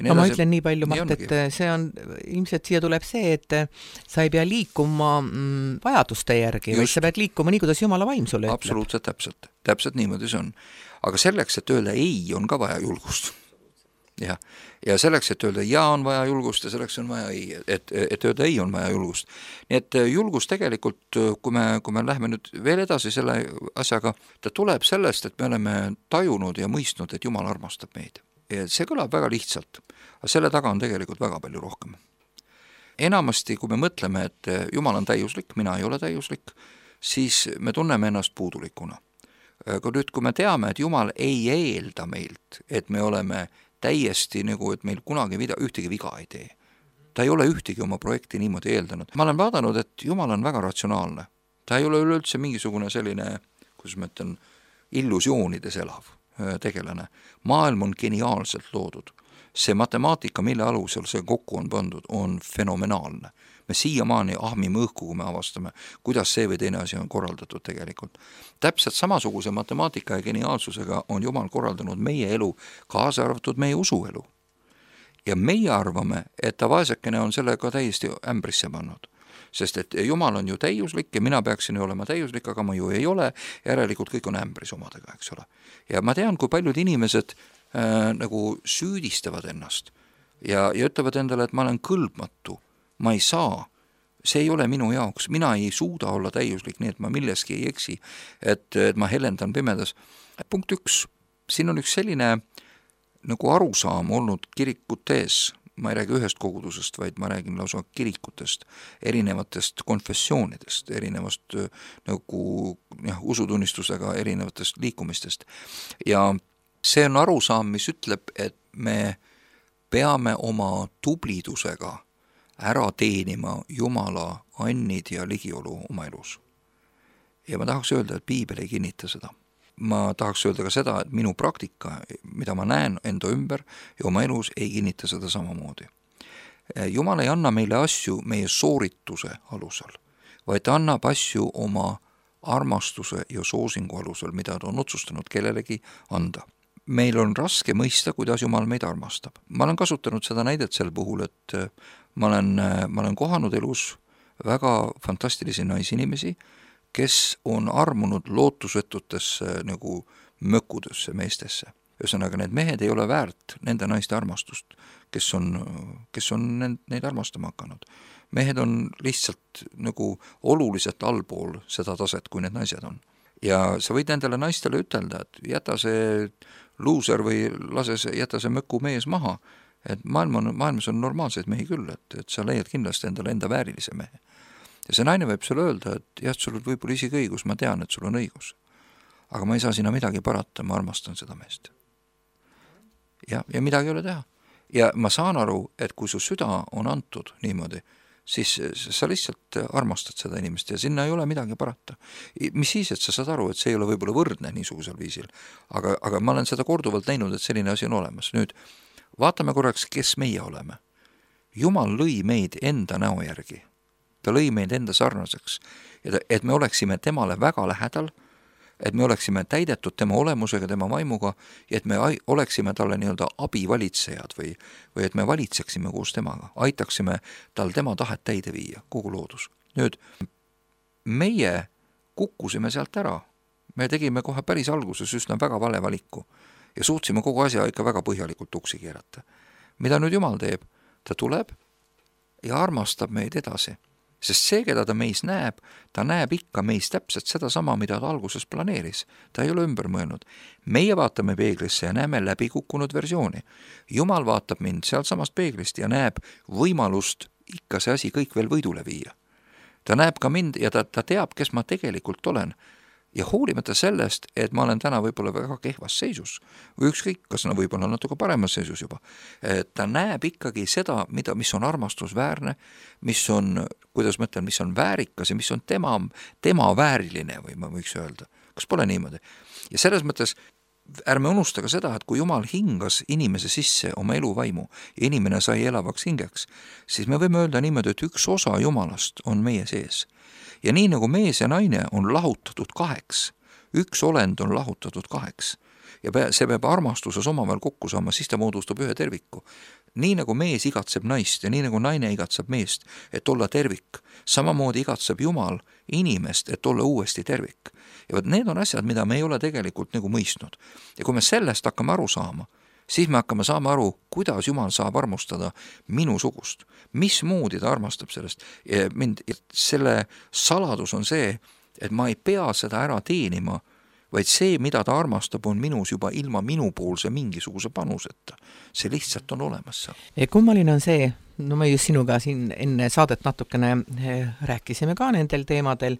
No ma ütlen nii palju, Mart, et see on, ilmselt siia tuleb see, et sa ei pea liikuma vajaduste järgi, vaid sa pead liikuma nii, kuidas Jumala vaim sulle ütleb. Absoluutselt täpselt niimoodi see on. Aga selleks, et öelda ei, on ka vaja julgust. Ja selleks, et öelda ja on vaja julgust ja selleks on vaja ei, et öelda ei on vaja julgust. Nii et julgus tegelikult, kui me lähme nüüd veel edasi selle asjaga, ta tuleb sellest, et me oleme tajunud ja mõistnud, et Jumal armastab meid. Ja see kõlab väga lihtsalt, aga selle taga on tegelikult väga palju rohkem. Enamasti, kui me mõtleme, et Jumal on täiuslik, mina ei ole täiuslik, siis me tunneme ennast puudulikuna. Aga nüüd, kui me teame, et Jumal ei eelda meilt, et me oleme täiesti nagu, et meil kunagi ühtegi viga ei tee. Ta ei ole ühtegi oma projekti niimoodi eeldanud. Ma olen vaadanud, et Jumal on väga ratsionaalne. Ta ei ole üleüldse mingisugune selline, kuidas ma ütlen, illusioonides elav tegelane. Maailm on geniaalselt loodud. See matemaatika, mille alusel see kokku on pandud, on fenomenaalne. Me siiamaani ahmime õhku, kui me avastame, kuidas see või teine asi on korraldatud tegelikult. Täpselt samasuguse matemaatika ja geniaalsusega on Jumal korraldanud meie elu, kaasa arvatud meie usuelu. Ja meie arvame, et ta vaesekene on sellega täiesti ämbrisse pannud. sest et Jumal on ju täiuslik ja mina peaksin ju olema täiuslik, aga ma ju ei ole, järelikult kõik on ämbris omadega, eks ole. Ja ma tean, kui paljud inimesed nagu süüdistavad ennast ja ütlevad endale, et ma olen kõlbmatu, ma ei saa, see ei ole minu jaoks, mina ei suuda olla täiuslik, nii et ma milleski ei eksi, et ma helendan pimedas. Punkt 1, siin on üks selline nagu arusaam olnud kirikutes, ma ei räägi ühest kogudusest, vaid ma räägin lausa kirikutest, erinevatest konfessioonidest, erinevast nagu usutunnistusega erinevatest liikumistest. Ja see on arusaam, mis ütleb, et me peame oma tublidusega ära teenima Jumala annid ja ligiolu oma elus. Ja ma tahaks öelda, et Piibel ei kinnita seda. Ma tahaks öelda ka seda, et minu praktika, mida ma näen enda ümber ja oma elus, ei kinnita seda samamoodi. Jumal ei anna meile asju meie soorituse alusel, vaid ta annab asju oma armastuse ja soosingu alusel, mida ta on otsustanud kellelegi anda. Meil on raske mõista, kuidas Jumal meid armastab. Ma olen kasutanud seda näidet sel puhul, et ma olen kohanud elus väga fantastilisi naisinimesi, kes on armunud lootusvetutesse nagu mökkudesse meestesse. Ühesõnaga, need mehed ei ole väärt nende naiste armastust, kes on neid armastama hakanud. Mehed on lihtsalt nagu oluliselt allpool seda taset, kui need naised on. Ja sa võid nendele naistele ütelda, et jäta see luuser või jäta see möku mees maha, et maailmas on normaalseid mehi küll, et sa leiad kindlasti endale enda väärilise mehe. Ja see naine võib sulle öelda, et jah, sul on võib-olla isegi õigus, ma tean, et sul on õigus. Aga ma ei saa sinna midagi parata, ma armastan seda meest. Ja midagi ei ole teha. Ja ma saan aru, et kui su süda on antud niimoodi, siis sa lihtsalt armastad seda inimest ja sinna ei ole midagi parata. Mis siis, et sa saad aru, et see ei ole võib-olla võrdne niisugusel viisil. Aga ma olen seda korduvalt näinud, et selline asi on olemas. Nüüd, vaatame korraks, kes meie oleme. Jumal lõi meid enda näo järgi. Ta lõi meid enda sarnaseks, et me oleksime temale väga lähedal, et me oleksime täidetud tema olemusega, tema vaimuga ja et me oleksime talle nii-öelda abivalitsejad või et me valitseksime koos temaga, aitaksime tal tema tahet täide viia, kogu loodus. Nüüd, meie kukkusime sealt ära. Me tegime kohe päris alguses üsna väga vale valiku ja suutsime kogu asja ikka väga põhjalikult tuksi keerata. Mida nüüd Jumal teeb? Ta tuleb ja armastab meid edasi. Sest see, keda ta meis näeb, ta näeb ikka meis täpselt seda sama, mida ta alguses planeeris. Ta ei ole ümber mõelnud. Meie vaatame peeglisse ja näeme läbikukkunud versiooni. Jumal vaatab mind sealt samast peeglist ja näeb võimalust ikka see asi kõik veel võidule viia. Ta näeb ka mind ja ta teab, kes ma tegelikult olen. Ja hoolimata sellest, et ma olen täna võib-olla väga kehvas seisus, või ükskõik, kas võib-olla natuke paremas seisus juba, ta näeb ikkagi seda, mis on armastusväärne, mis on, kuidas mõtlen, mis on väärikas ja mis on tema vääriline, või ma võiks öelda. Kas pole niimoodi? Ja selles mõttes ärme unusta ka seda, et kui Jumal hingas inimese sisse oma eluvaimu ja inimene sai elavaks hingeks, siis me võime öelda niimoodi, et üks osa Jumalast on meie sees. Ja nii nagu mees ja naine on lahutatud 2, üks olend on lahutatud 2 ja see peab armastuses omavahel kokku saama, siis ta moodustab ühe terviku. Nii nagu mees igatseb naist ja nii nagu naine igatseb meest, et olla tervik, samamoodi igatseb Jumal inimest, et olla uuesti tervik. Ja need on asjad, mida me ei ole tegelikult nagu mõistnud. Ja kui me sellest hakkame aru saama, siis me hakkame saama aru, kuidas Jumal saab armastada minusugust. Mismoodi ta armastab sellest. Selle saladus on see, et ma ei pea seda ära teenima, vaid see, mida ta armastab, on minus juba ilma minupoolse mingisuguse panuseta. See lihtsalt on olemas seal. Kummaline on see, no me just sinuga siin enne saadet natukene rääkisime ka nendel teemadel,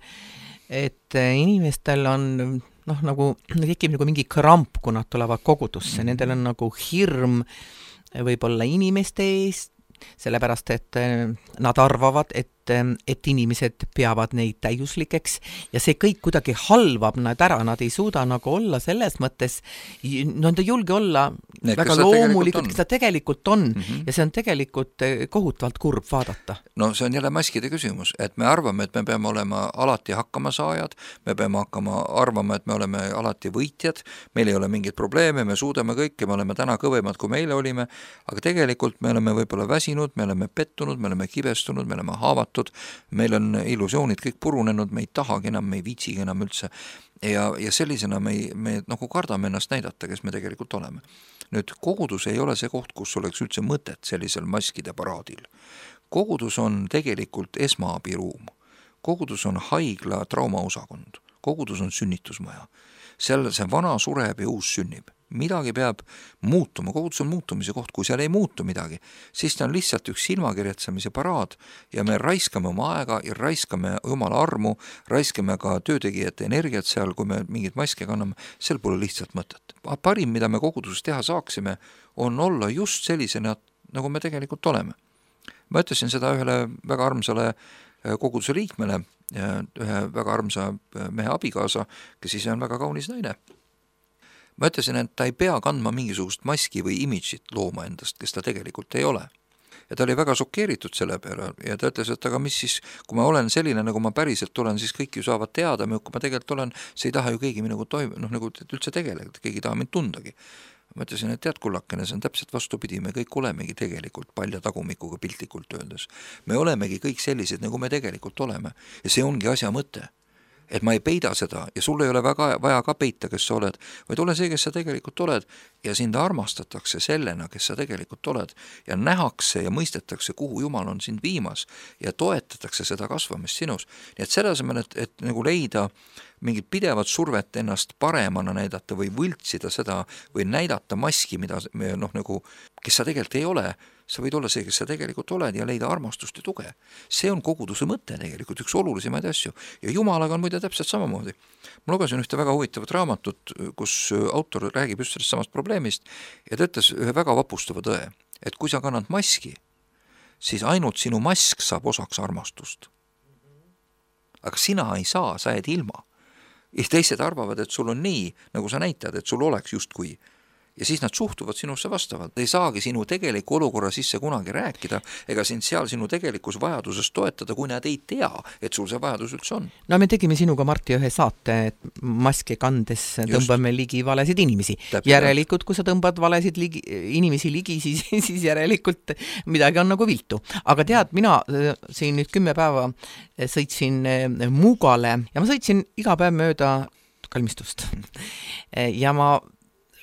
et inimestel on nagu tekib nagu mingi kramp, kui nad tulevad kogudusse. Nendel on nagu hirm võib-olla inimeste eest, sellepärast, et nad arvavad, et inimesed peavad neid täiuslikeks ja see kõik kuidagi halvab nad ära, nad ei suuda nagu olla selles mõttes, nad ei julge olla väga loomulikult, kes ta tegelikult on ja see on tegelikult kohutavalt kurb vaadata. No see on jälle maskide küsimus, et me arvame, et me peame olema alati hakkama saajad, me peame arvama, et me oleme alati võitjad, meil ei ole mingeid probleeme, me suudame kõike, me oleme täna kõvemad, kui meile olime, aga tegelikult me oleme võib-olla väsinud, me oleme pettunud, me oleme kibestunud, me oleme haavatud, tehtud, meil on illusioonid kõik purunenud, me ei tahagi enam, me ei viitsigi enam üldse ja sellisena me nagu kardame ennast näidata, kes me tegelikult oleme. Nüüd kogudus ei ole see koht, kus oleks üldse mõtet sellisel maskide paraadil. Kogudus on tegelikult esmaabiruum. Kogudus on haigla traumaosakond. Kogudus on sünnitusmaja. Seal see vana sureb ja uus sünnib. Midagi peab muutuma, kogudus on muutumise koht, kui seal ei muutu midagi, siis ta on lihtsalt üks silmakirjatsemise paraad ja me raiskame oma aega ja raiskame Jumala armu, raiskame ka töötegijate energiat seal, kui me mingit maske kanname, seal pole lihtsalt mõtet. Parim, mida me koguduses teha saaksime, on olla just sellisena, nagu me tegelikult oleme. Ma ütlesin seda ühele väga armsale koguduse liikmele, ühe väga armsa mehe abikaasa, kes ise on väga kaunis naine. Ma ütlesin, et ta ei pea kandma mingisugust maski või imidžit looma endast, kes ta tegelikult ei ole. Ja ta oli väga šokeeritud selle peale ja ta ütles, et aga mis siis, kui ma olen selline, nagu ma päriselt olen, siis kõik ju saavad teada, kui ma tegelikult olen, see ei taha ju keegi minuga nagu üldse tegeleda, keegi ei taha mind tundagi. Ma ütlesin, et tead kullakene, see on täpselt vastupidi, me kõik olemegi tegelikult palja tagumikuga piltlikult öeldes. Me olemegi kõik sellised, nagu me tegelikult oleme ja see ongi asja mõte. Et ma ei peida seda ja sul ei ole väga vaja ka peita, kes sa oled, vaid ole see, kes sa tegelikult oled ja sind armastatakse sellena, kes sa tegelikult oled ja nähakse ja mõistetakse, kuhu Jumal on sind viimas ja toetatakse seda kasvamist sinus. Nii et selle asemel, et nagu leida mingit pidevat survet ennast paremana näidata või võltsida seda või näidata maski, mida nagu, kes sa tegelikult ei ole, sa võid olla see, kes sa tegelikult oled ja leida armastust ja tuge. See on koguduse mõte tegelikult, üks olulisemaid asju. Ja Jumalaga on muide täpselt samamoodi. Ma lugesin ühte väga huvitavat raamatut, kus autor räägib just sellest samast probleemist ja ta ütles ühe väga vapustava tõe, et kui sa kannad maski, siis ainult sinu mask saab osaks armastust. Aga sina ei saa, sa jääd ilma. Ja teised arvavad, et sul on nii, nagu sa näitad, et sul oleks justkui. Ja siis nad suhtuvad sinusse vastavalt. Ei saagi sinu tegeliku olukorra sisse kunagi rääkida, ega sind seal sinu tegelikus vajaduses toetada, kui nad ei tea, et sul see vajadus üldse on. No me tegime sinuga, Marti, ühe saate, et maski kandes tõmbame ligi valesid inimesi. Järelikult, kui sa tõmbad valesid inimesi ligi, siis järelikult midagi on nagu viltu. Aga tead, mina siin nüüd 10 päeva sõitsin Mugale ja ma sõitsin iga päev mööda kalmistust. Ja ma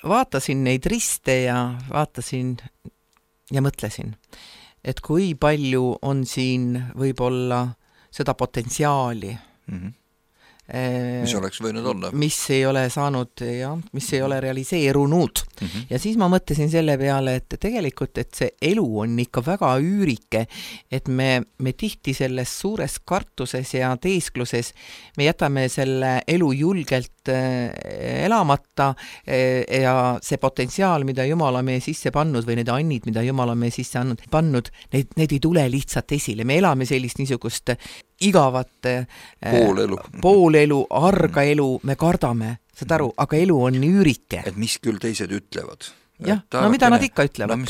vaatasin neid riste ja vaatasin ja mõtlesin, et kui palju on siin võib-olla seda potentsiaali, mis oleks võinud olla. Mis ei ole saanud ja mis ei ole realiseerunud. Ja siis ma mõtlesin selle peale, et tegelikult, et see elu on ikka väga üürike, et me tihti selles suures kartuses ja teeskluses me jätame selle elu julgelt elamata ja see potentsiaal, mida Jumal on meie sisse pannud või need annid, mida Jumal on meie sisse pannud, need ei tule lihtsalt esile. Me elame sellist niisugust igavat poolelu, arga elu, me kardame, saad aru, aga elu on üürike. Et mis küll teised ütlevad. Jah, no mida nad ikka ütlevad?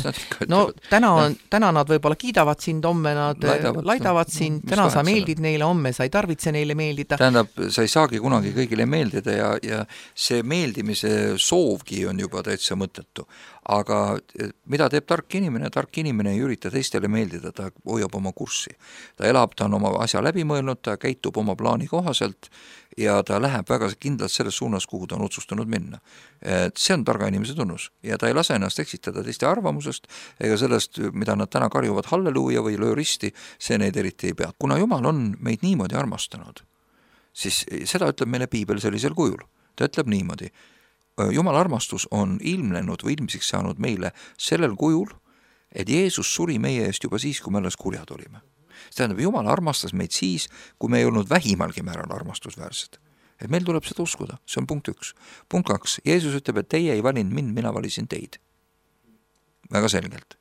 No täna nad võib-olla kiidavad sind, homme nad laidavad sind, täna sa meeldid neile, homme sa ei tarvitse neile meeldida. Tähendab, sa ei saagi kunagi kõigile meeldida ja see meeldimise soovgi on juba täitsa mõttetu. Aga mida teeb tark inimene? Tark inimene ei ürita teistele meeldida, ta hoiab oma kurssi. Ta elab, ta on oma asja läbi mõelnud, ta käitub oma plaani kohaselt ja ta läheb väga kindlalt selles suunas, kuhu ta on otsustanud minna. See on targa inimese tunnus ja ta ei lase ennast eksitada teiste arvamusest ega sellest, mida nad täna karjuvad halleluuja või löö risti, see neid eriti ei pea. Kuna Jumal on meid niimoodi armastanud, siis seda ütleb meile Piibel sellisel kujul. Ta ütleb niimoodi, Jumala armastus on ilmnenud või ilmsiks saanud meile sellel kujul, et Jeesus suri meie eest juba siis, kui me alles kurjad olime. See tähendab, Jumal armastas meid siis, kui me ei olnud vähimalgi määral armastusväärsed. Et meil tuleb seda uskuda, see on punkt 1. Punkt 2, Jeesus ütleb, et teie ei valinud mind, mina valisin teid. Väga selgelt.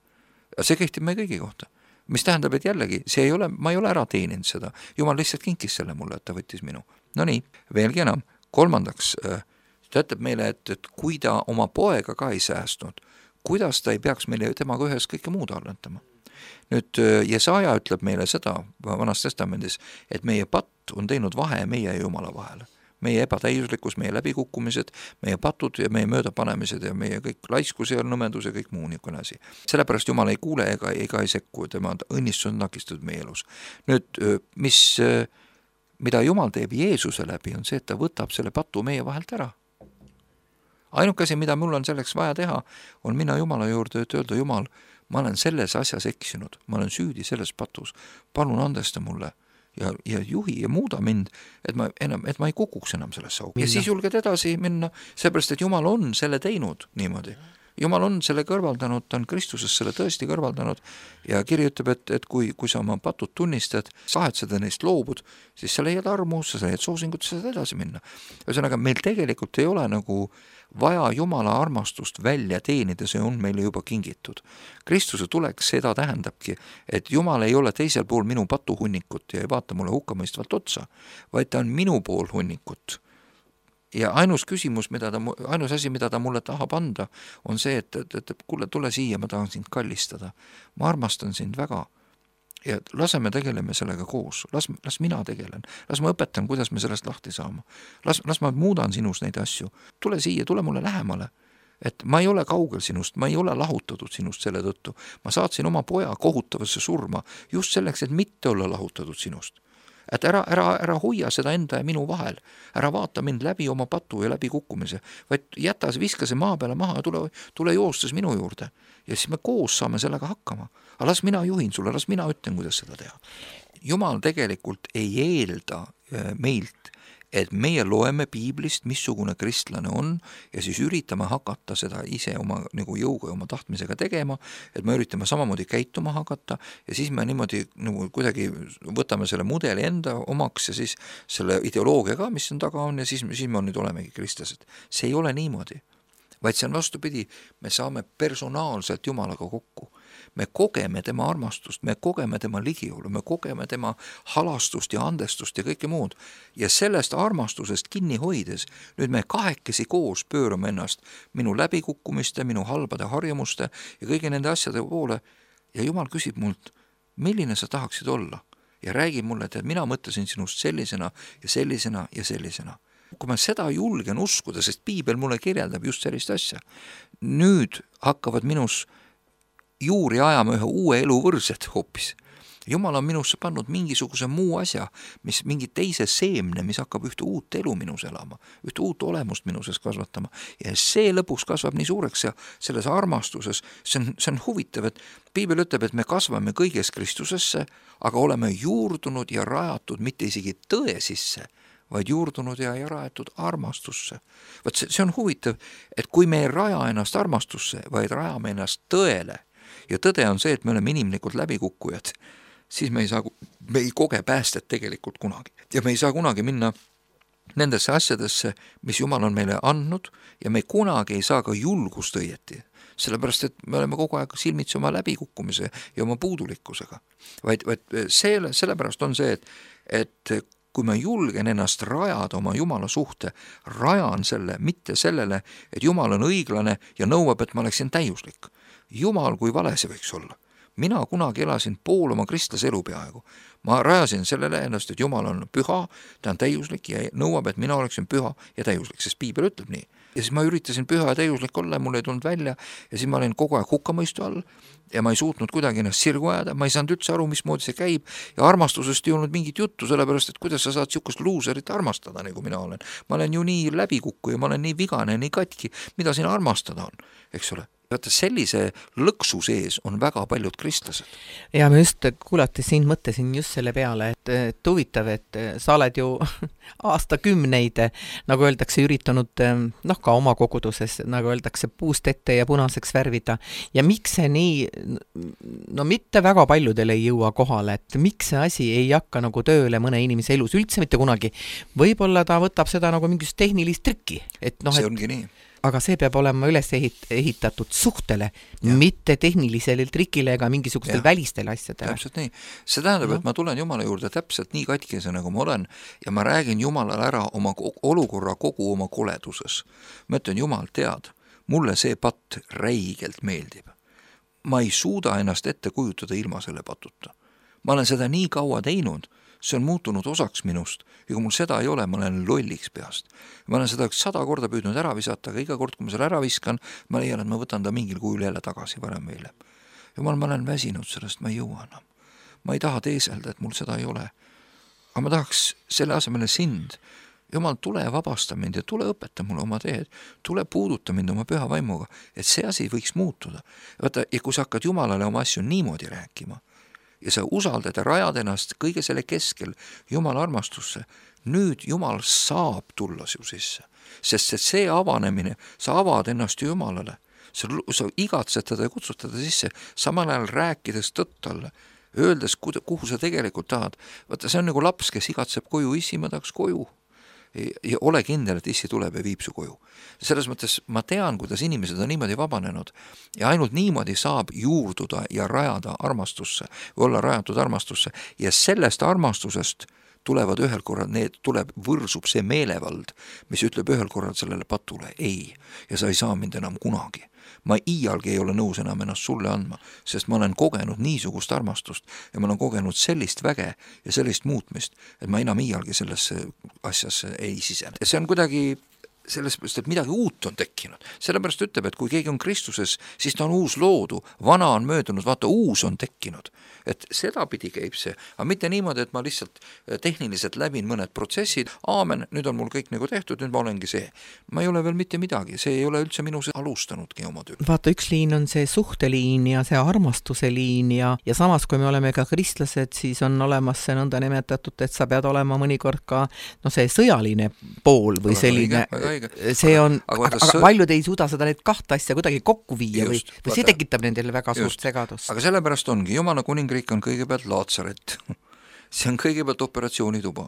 See kehtib meie kõigi kohta. Mis tähendab, et jällegi, ma ei ole ära teeninud seda. Jumal lihtsalt kinkis selle mulle, et ta võttis minu. No nii, veelgi enam. 3. Ta ütleb meile, et kui ta oma poega ka ei säästnud, kuidas ta ei peaks meile temaga ühes kõike muud arventama. Nüüd Jesaja ütleb meile seda Vanas Testamendis, et meie patt on teinud vahe meie ja Jumala vahele. meie ebatäiuslikkus, meie läbikukkumised, meie patud ja meie möödapanemised ja meie kõik laiskus ja nõmedus ja kõik muu niisugune asi. Sellepärast Jumal ei kuule ega ei sekku, tema õnnistus on takistatud meie elus. Nüüd, mida Jumal teeb Jeesuse läbi, on see, et ta võtab selle patu meie vahelt ära. Ainuke asi, mida mul on selleks vaja teha, on minna Jumala juurde, et öelda, Jumal, ma olen selles asjas eksinud, ma olen süüdi selles patus, palun andesta mulle ja juhi ja muuda mind, et ma ei kukuks enam sellesse auku. Ja siis julged edasi minna, seepärast, et Jumal on selle teinud niimoodi. Jumal on selle kõrvaldanud, ta on Kristuses selle tõesti kõrvaldanud ja kiri ütleb, et kui sa oma patud tunnistad, kahetsed neist loobud, siis sa leiad armu, sa leiad soosingut, sa saad edasi minna. Ühesõnaga, meil tegelikult ei ole nagu vaja Jumala armastust välja teenida, see on meile juba kingitud. Kristuse tuleks seda tähendabki, et Jumal ei ole teisel pool minu patuhunnikut ja ei vaata mulle hukkamõistvalt otsa, vaid ta on minu pool hunnikut. Ja ainus asi, mida ta mulle tahab anda, on see, et kuule, tule siia, ma tahan sind kallistada. Ma armastan sind väga. Ja laseme tegeleme sellega koos. Las mina tegelen. Las ma õpetan, kuidas me sellest lahti saama. Las ma muudan sinus neid asju. Tule siia, tule mulle lähemale. Et ma ei ole kaugel sinust, ma ei ole lahutatud sinust selle tõttu. Ma saatsin oma poja kohutavasse surma just selleks, et mitte olla lahutatud sinust. Et ära hoia seda enda ja minu vahel, ära vaata mind läbi oma patu ja läbi kukkumise, vaid jäta viska see maa peale maha ja tule joostes minu juurde ja siis me koos saame sellega hakkama. Aga las mina juhin sulle, las mina ütlen, kuidas seda teha. Jumal tegelikult ei eelda meilt, et meie loeme piiblist, missugune kristlane on ja siis üritame hakata seda ise oma nagu jõuga ja oma tahtmisega tegema, et me üritame samamoodi käituma hakata ja siis me niimoodi nagu kuidagi võtame selle mudeli enda omaks ja siis selle ideoloogia ka, mis on taga on ja siis me nüüd olemegi kristlased. See ei ole niimoodi, vaid see on vastupidi, me saame personaalselt Jumalaga kokku. Me kogeme tema armastust, me kogeme tema ligiolu, me kogeme tema halastust ja andestust ja kõike muud. Ja sellest armastusest kinni hoides, nüüd me kahekesi koos pöörame ennast minu läbikukkumiste, minu halbade harjumuste ja kõigi nende asjade poole. Ja Jumal küsib mult, milline sa tahaksid olla? Ja räägib mulle, et mina mõtlesin sinust sellisena ja sellisena ja sellisena. Kui ma seda julgen uskuda, sest piibel mulle kirjeldab just sellist asja, nüüd hakkavad minus juuri ajama ühe uue elu võrsed hoopis. Jumal on minusse pannud mingisuguse muu asja, mingi teise seemne, mis hakkab ühte uut elu minus elama, ühte uut olemust minuses kasvatama. Ja see lõpuks kasvab nii suureks ja selles armastuses, see on huvitav, et piibel ütleb, et me kasvame kõiges Kristusesse, aga oleme juurdunud ja rajatud mitte isegi tõe sisse, vaid juurdunud ja rajatud armastusse. Vaat see on huvitav, et kui me ei raja ennast armastusse, vaid rajame ennast tõele, ja tõde on see, et me oleme inimlikud läbikukkujad, siis me ei koge päästet tegelikult kunagi. Ja me ei saa kunagi minna nendesse asjadesse, mis Jumal on meile andnud ja me kunagi ei saa ka julgust õieti. Sellepärast, et me oleme kogu aeg silmitsi oma läbikukkumise ja oma puudulikkusega. Vaid sellepärast on see, et kui ma julgen ennast rajada oma Jumala suhte, rajan selle, mitte sellele, et Jumal on õiglane ja nõuab, et ma oleksin täiuslik. Jumal, kui vale see võiks olla. Mina kunagi elasin pool oma kristlase elu peaaegu. Ma rajasin sellele ennast, et Jumal on püha, ta on täiuslik ja nõuab, et mina oleksin püha ja täiuslik, sest piibel ütleb nii. Ja siis ma üritasin püha ja täiuslik olla ja mul ei tulnud välja ja siis ma olin kogu aeg hukkamõistu all ja ma ei suutnud kuidagi ennast sirgu ajada, ma ei saanud üldse aru, mismoodi see käib ja armastusest ei olnud mingit juttu, sellepärast, et kuidas sa saad siukest luuserit armastada, nagu mina olen. Ma olen ju nii läbikukku ja ma olen nii vigane, nii katki, mida siin armastada on, eks ole. Vaata, sellise lõksu sees on väga paljud kristlased. Ja ma just kuulates siin mõtlesin just selle peale, et huvitav, et sa oled ju aastakümneid, nagu öeldakse, üritanud ka oma koguduses, nagu öeldakse, puust ette ja punaseks värvida. Ja miks see nii, mitte väga paljudele ei jõua kohale, et miks see asi ei hakka nagu tööle mõne inimese elus üldse mitte kunagi. Võib-olla ta võtab seda nagu mingist tehnilist trikki. See ongi nii. Aga see peab olema üles ehitatud suhtele, mitte tehnilisele trikile ega mingisugustel välistele asjadele. Täpselt nii. See tähendab, et ma tulen Jumala juurde täpselt nii katkise, nagu ma olen ja ma räägin Jumalale ära oma olukorra kogu oma koleduses. Ma ütlen, Jumal, tead, mulle see patt räigelt meeldib. Ma ei suuda ennast ette kujutada ilma selle patuta. Ma olen seda nii kaua teinud, see on muutunud osaks minust ja kui mul seda ei ole, ma olen lolliks peast. Ma olen seda 100 korda püüdnud ära visata, aga iga kord, kui ma selle ära viskan, ma leian, et ma võtan ta mingil kujul jälle tagasi varem või hiljem. Jumal, ma olen väsinud sellest, ma ei jõua enam. Ma ei taha teeselda, et mul seda ei ole. Aga ma tahaks selle asemele sind. Jumal, tule vabasta mind ja tule õpeta mulle oma teed. Tule puuduta mind oma püha vaimuga, et see asi võiks muutuda. Vaata, ja kui sa hakkad Jumalale oma asju niimoodi rääkima ja sa usaldad ja rajad ennast kõige selle keskel Jumala armastusse, nüüd Jumal saab tulla su sisse. Sest see avanemine, sa avad ennast Jumalale, sa igatsed teda ja kutsud teda sisse, samal ajal rääkides tõtt talle, öeldes, kuhu sa tegelikult tahad. Vaata, see on nagu laps, kes igatseb koju, issi, ma tahaks koju. Ja ole kindel, et issi tuleb ja viib su koju. Selles mõttes ma tean, kuidas inimesed on niimoodi vabanenud ja ainult niimoodi saab juurduda ja rajada armastusse, olla rajatud armastusse ja sellest armastusest tulevad ühel korral, võrsub see meelevald, mis ütleb ühel korral sellele patule ei ja sa ei saa mind enam kunagi. Ma iialgi ei ole nõus enam ennast sulle andma, sest ma olen kogenud niisugust armastust ja ma olen kogenud sellist väge ja sellist muutmist, et ma enam iialgi sellesse asjasse ei sisene. Ja see on kuidagi sellest, et midagi uut on tekkinud. Sellepärast ütleb, et kui keegi on Kristuses, siis ta on uus loodu, vana on möödunud, vaata uus on tekkinud. Et seda pidi käib see, aga mitte niimoodi, et ma lihtsalt tehniliselt läbin mõned protsessid, aamen, nüüd on mul kõik nagu tehtud, nüüd ma olengi see. Ma ei ole veel mitte midagi, see ei ole üldse minus alustanudki oma töö. Vaata, üks liin on see suhteliin ja see armastuse liin ja samas, kui me oleme ka kristlased, siis on olemas see nõnda nimetatud, et sa pead olema mõnikord ka see sõjaline pool või selline, see on, aga paljud ei suuda seda need kahte asja kuidagi kokku viia just, või see tekitab nendele väga suurt segadust. Aga sellepärast ongi, Jumala kuningriik on kõigepealt Laatsaret, see on kõigepealt operatsioonituba,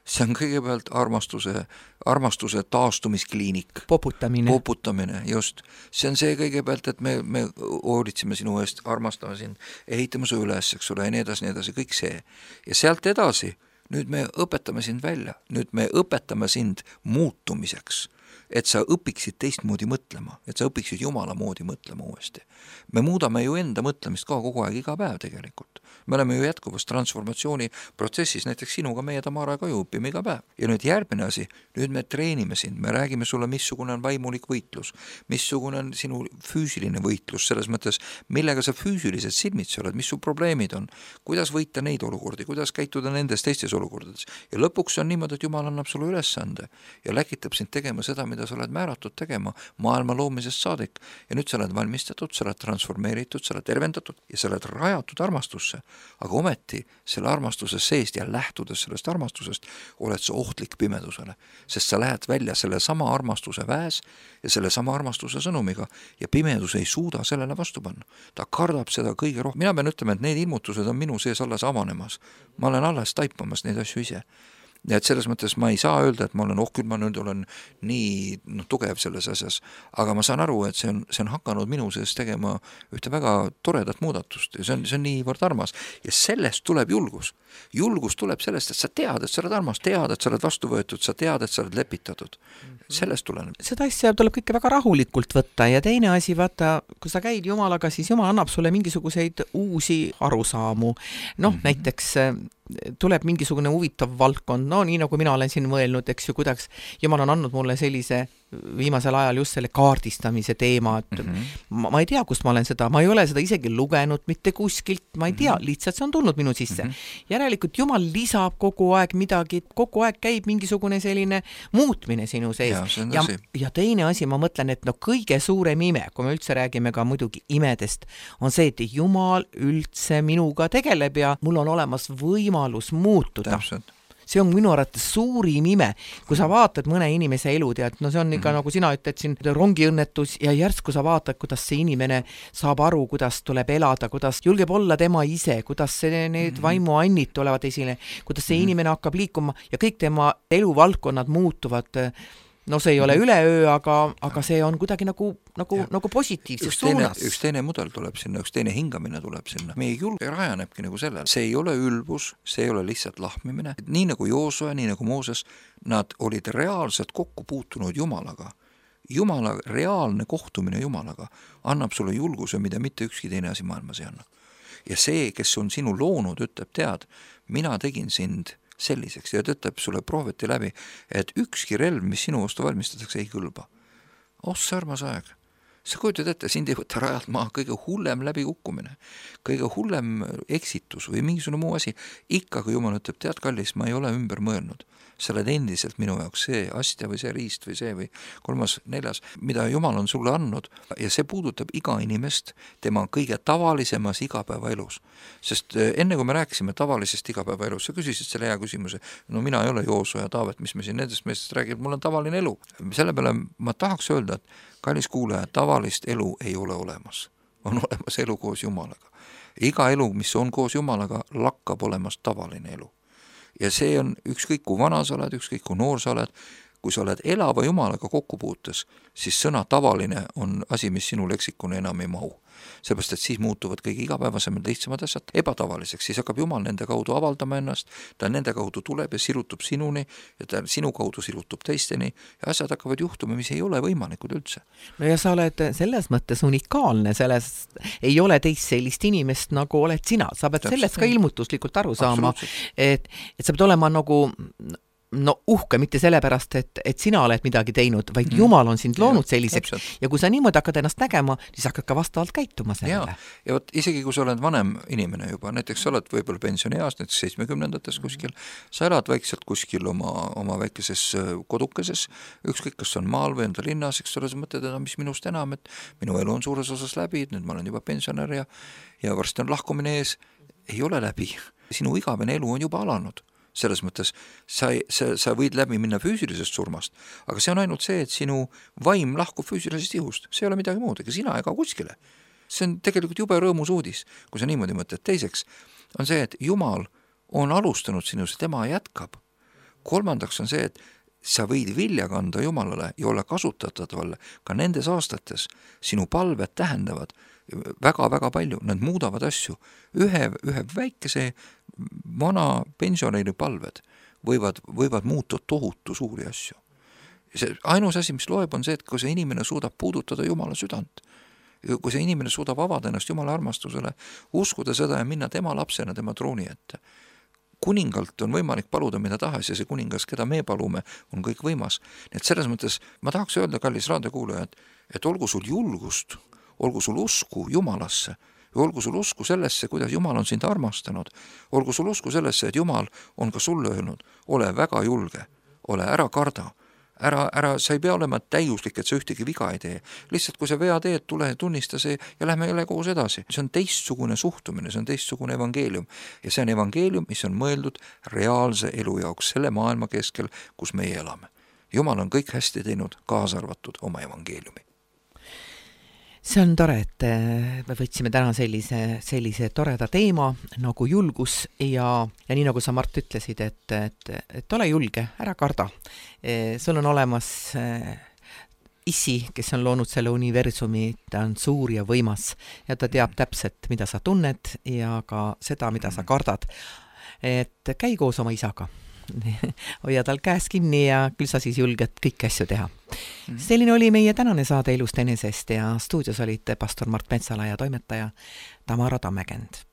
see on kõigepealt armastuse taastumiskliinik. Poputamine, just. See on see kõigepealt, et me hoolitseme sinu eest, armastame sind, ehitame su üles, eks ole, ja nii edasi, kõik see. Ja sealt edasi, nüüd me õpetame sind välja, nüüd me õpetame sind muutumiseks, et sa õpiksid teistmoodi mõtlema, et sa õpiksid Jumala moodi mõtlema uuesti. Me muudame ju enda mõtlemist ka kogu aeg, iga päev tegelikult. Me oleme ju jätkuvas transformatsiooni protsessis, näiteks sinuga meie Tamaraga ju õpime iga päev. Ja nüüd järgmine asi, nüüd me treenime sind, me räägime sulle, missugune on vaimulik võitlus, missugune on sinu füüsiline võitlus, selles mõttes, millega sa füüsiliselt silmitsi oled, mis su probleemid on, kuidas võita neid olukordi, kuidas käituda nendes teistes olukordades. Ja lõpuks on niimoodi, et Jumal annab sulle ülesande ja läkitab sind tegema seda, mida sa oled määratud tegema maailma loomisest saadik. Ja nüüd sa oled valmistatud, sa oled transformeeritud, sa oled tervendatud ja sa oled rajatud armastusse. Aga ometi selle armastuse seest ja lähtudes sellest armastusest oled sa ohtlik pimedusele, sest sa lähed välja selle sama armastuse väes ja selle sama armastuse sõnumiga ja pimedus ei suuda sellele vastu panna. Ta kardab seda kõige rohkem. Mina pean ütlema, et need ilmutused on minu sees alles avanemas. Ma olen alles taipamas neid asju ise. Ja et selles mõttes ma ei saa öelda, et ma olen, küll ma nüüd olen nii tugev selles asjas, aga ma saan aru, et see on hakanud minu sees tegema ühte väga toredat muudatust ja see on niivõrd armas ja sellest tuleb julgus. Julgus tuleb sellest, et sa tead, et sa oled armas, tead, et sa oled vastu võetud, sa tead, et sa oled lepitatud. Sellest tuleneb. Seda asja tuleb kõike väga rahulikult võtta ja teine asi, vaata, kui sa käid Jumalaga, siis Jumal annab sulle mingisuguseid uusi arusaamu. Näiteks tuleb mingisugune huvitav valdkond, nii nagu mina olen siin mõelnud, eks ju, kuidas Jumal on andnud mulle sellise viimasel ajal just selle kaardistamise teema, et ma ei tea, kust ma olen seda, ma ei ole seda isegi lugenud mitte kuskilt, ma ei tea, lihtsalt see on tulnud minu sisse. Järelikult Jumal lisab kogu aeg midagi, kogu aeg käib mingisugune selline muutmine sinu sees. Ja teine asi, ma mõtlen, et kõige suurem ime, kui me üldse räägime ka muidugi imedest, on see, et Jumal üldse minuga tegeleb ja mul on olemas võimalus muutuda. Täpselt. See on minu arvates suurim ime, kui sa vaatad mõne inimese elu, tead, see on ikka nagu sina ütled siin rongiõnnetus ja järsku sa vaatad, kuidas see inimene saab aru, kuidas tuleb elada, kuidas julgeb olla tema ise, kuidas need vaimuannid tulevad esile, kuidas see inimene hakkab liikuma ja kõik tema eluvaldkonnad muutuvad. See ei ole üleöö, aga see on kuidagi nagu positiivses suunas. Üks teine mudel tuleb sinna, üks teine hingamine tuleb sinna. Meie julge rajanebki nagu sellel. See ei ole ülbus, see ei ole lihtsalt lahmimine. Nii nagu Joosua, nii nagu Mooses, nad olid reaalselt kokku puutunud Jumalaga. Jumala reaalne kohtumine Jumalaga annab sulle julguse, mida mitte ükski teine asi maailmas ei anna. ja see, kes on sinu loonud, ütleb, tead, mina tegin sind selliseks ja ta ütleb sulle prooviti läbi, et ükski relv, mis sinu vastu valmistatakse, ei kõlba. See armas aeg. Sa kujutad ette, sind ei võtta rajalt maha kõige hullem läbikukkumine, kõige hullem eksitus või mingisugune muu asi. Ikkagi Jumal ütleb, tead kallis, ma ei ole ümber mõelnud. Sa oled endiselt minu jaoks see astja või see riist või see või 3., 4., mida Jumal on sulle andnud ja see puudutab iga inimest tema kõige tavalisemas igapäevaelus. Sest enne kui me rääkisime tavalisest igapäevaelus, sa küsisid selle hea küsimuse, no mina ei ole Joosua ja Taavet, mis me siin nendest meestest räägib, mul on tavaline elu. Selle peale ma tahaks öelda, et kallis kuulaja, tavalist elu ei ole olemas. On olemas elu koos Jumalaga. Iga elu, mis on koos Jumalaga, lakkab olemas tavaline elu. Ja see on ükskõik kui vana sa oled, ükskõik kui noor sa oled, kui sa oled elava Jumalaga kokkupuutes, siis sõna tavaline on asi, mis sinu leksikune enam ei mahu. Seepärast, et siis muutuvad kõige igapäevasemad lihtsamad asjad ebatavaliseks, siis hakkab Jumal nende kaudu avaldama ennast, ta nende kaudu tuleb ja sirutub sinuni ja ta sinu kaudu sirutub teisteni ja asjad hakkavad juhtuma, mis ei ole võimalikud üldse. No ja sa oled selles mõttes unikaalne, selles ei ole teist sellist inimest, nagu oled sina. Sa pead sellest ka ilmutuslikult aru saama, et sa pead olema nagu uhke, mitte sellepärast, et sina oled midagi teinud, vaid Jumal on sind loonud selliseks ja kui sa niimoodi hakkad ennast nägema, siis hakkad ka vastavalt käituma sellele. Ja võt, isegi kui sa oled vanem inimene juba, näiteks sa oled võib-olla pensionieas, näiteks 70-ndates kuskil, sa elad vaikselt kuskil oma väikeses kodukeses, ükskõik kas on maal või enda linnas, eks sa mõtled, mis minust enam, et minu elu on suures osas läbi, nüüd ma olen juba pensionär ja varsti on lahkumine ees, ei ole läbi. Sinu igavene elu on juba alanud. Selles mõttes sa võid läbi minna füüsilisest surmast, aga see on ainult see, et sinu vaim lahkub füüsilisest ihust. See ei ole midagi muud, ega sina ega kuskile. See on tegelikult jube rõõmus uudis, kui sa niimoodi mõtled. Teiseks on see, et Jumal on alustanud sinus, tema jätkab. Kolmandaks on see, et sa võid vilja kanda Jumalale ja olla kasutatavalle ka nendes aastates. Sinu palved tähendavad väga-väga palju, nad muudavad asju. Ühe väikese vana pensionäri palved võivad muuta tohutu suuri asju. See ainus asi, mis loeb, on see, et kui see inimene suudab puudutada Jumala südant, kui see inimene suudab avada ennast Jumala armastusele, uskuda seda ja minna tema lapsena tema trooni ette. Kuningalt on võimalik paluda mida tahes ja see kuningas, keda me palume, on kõik võimas. Et selles mõttes ma tahaks öelda, kallis raadiokuulaja, et olgu sul julgust, olgu sul usku Jumalasse ja olgu sul usku sellesse, kuidas Jumal on sind armastanud, olgu sul usku sellesse, et Jumal on ka sulle öelnud, ole väga julge, ole ära karda, sa ei pea olema täiuslik, et sa ühtegi viga ei tee. Lihtsalt kui sa vea teed, tule tunnista see ja lähme jälle koos edasi. See on teistsugune suhtumine, see on teistsugune evangeelium ja see on evangeelium, mis on mõeldud reaalse elu jaoks selle maailma keskel, kus meie elame. Jumal on kõik hästi teinud, kaasa arvatud oma evangeeliumi. See on tore, et me võtsime täna sellise toreda teema nagu julgus ja nii nagu sa, Mart, ütlesid, et ole julge, ära karda. Sul on olemas Issi, kes on loonud selle universumi, ta on suur ja võimas ja ta teab täpselt, mida sa tunned ja ka seda, mida sa kardad. Et käi koos oma isaga. Hoia tal käes kinni ja küll sa siis julged kõiki asju teha. Selline oli meie tänane saade Elust enesest ja stuudios olid pastor Mart Metsala ja toimetaja Tamara Tammekend.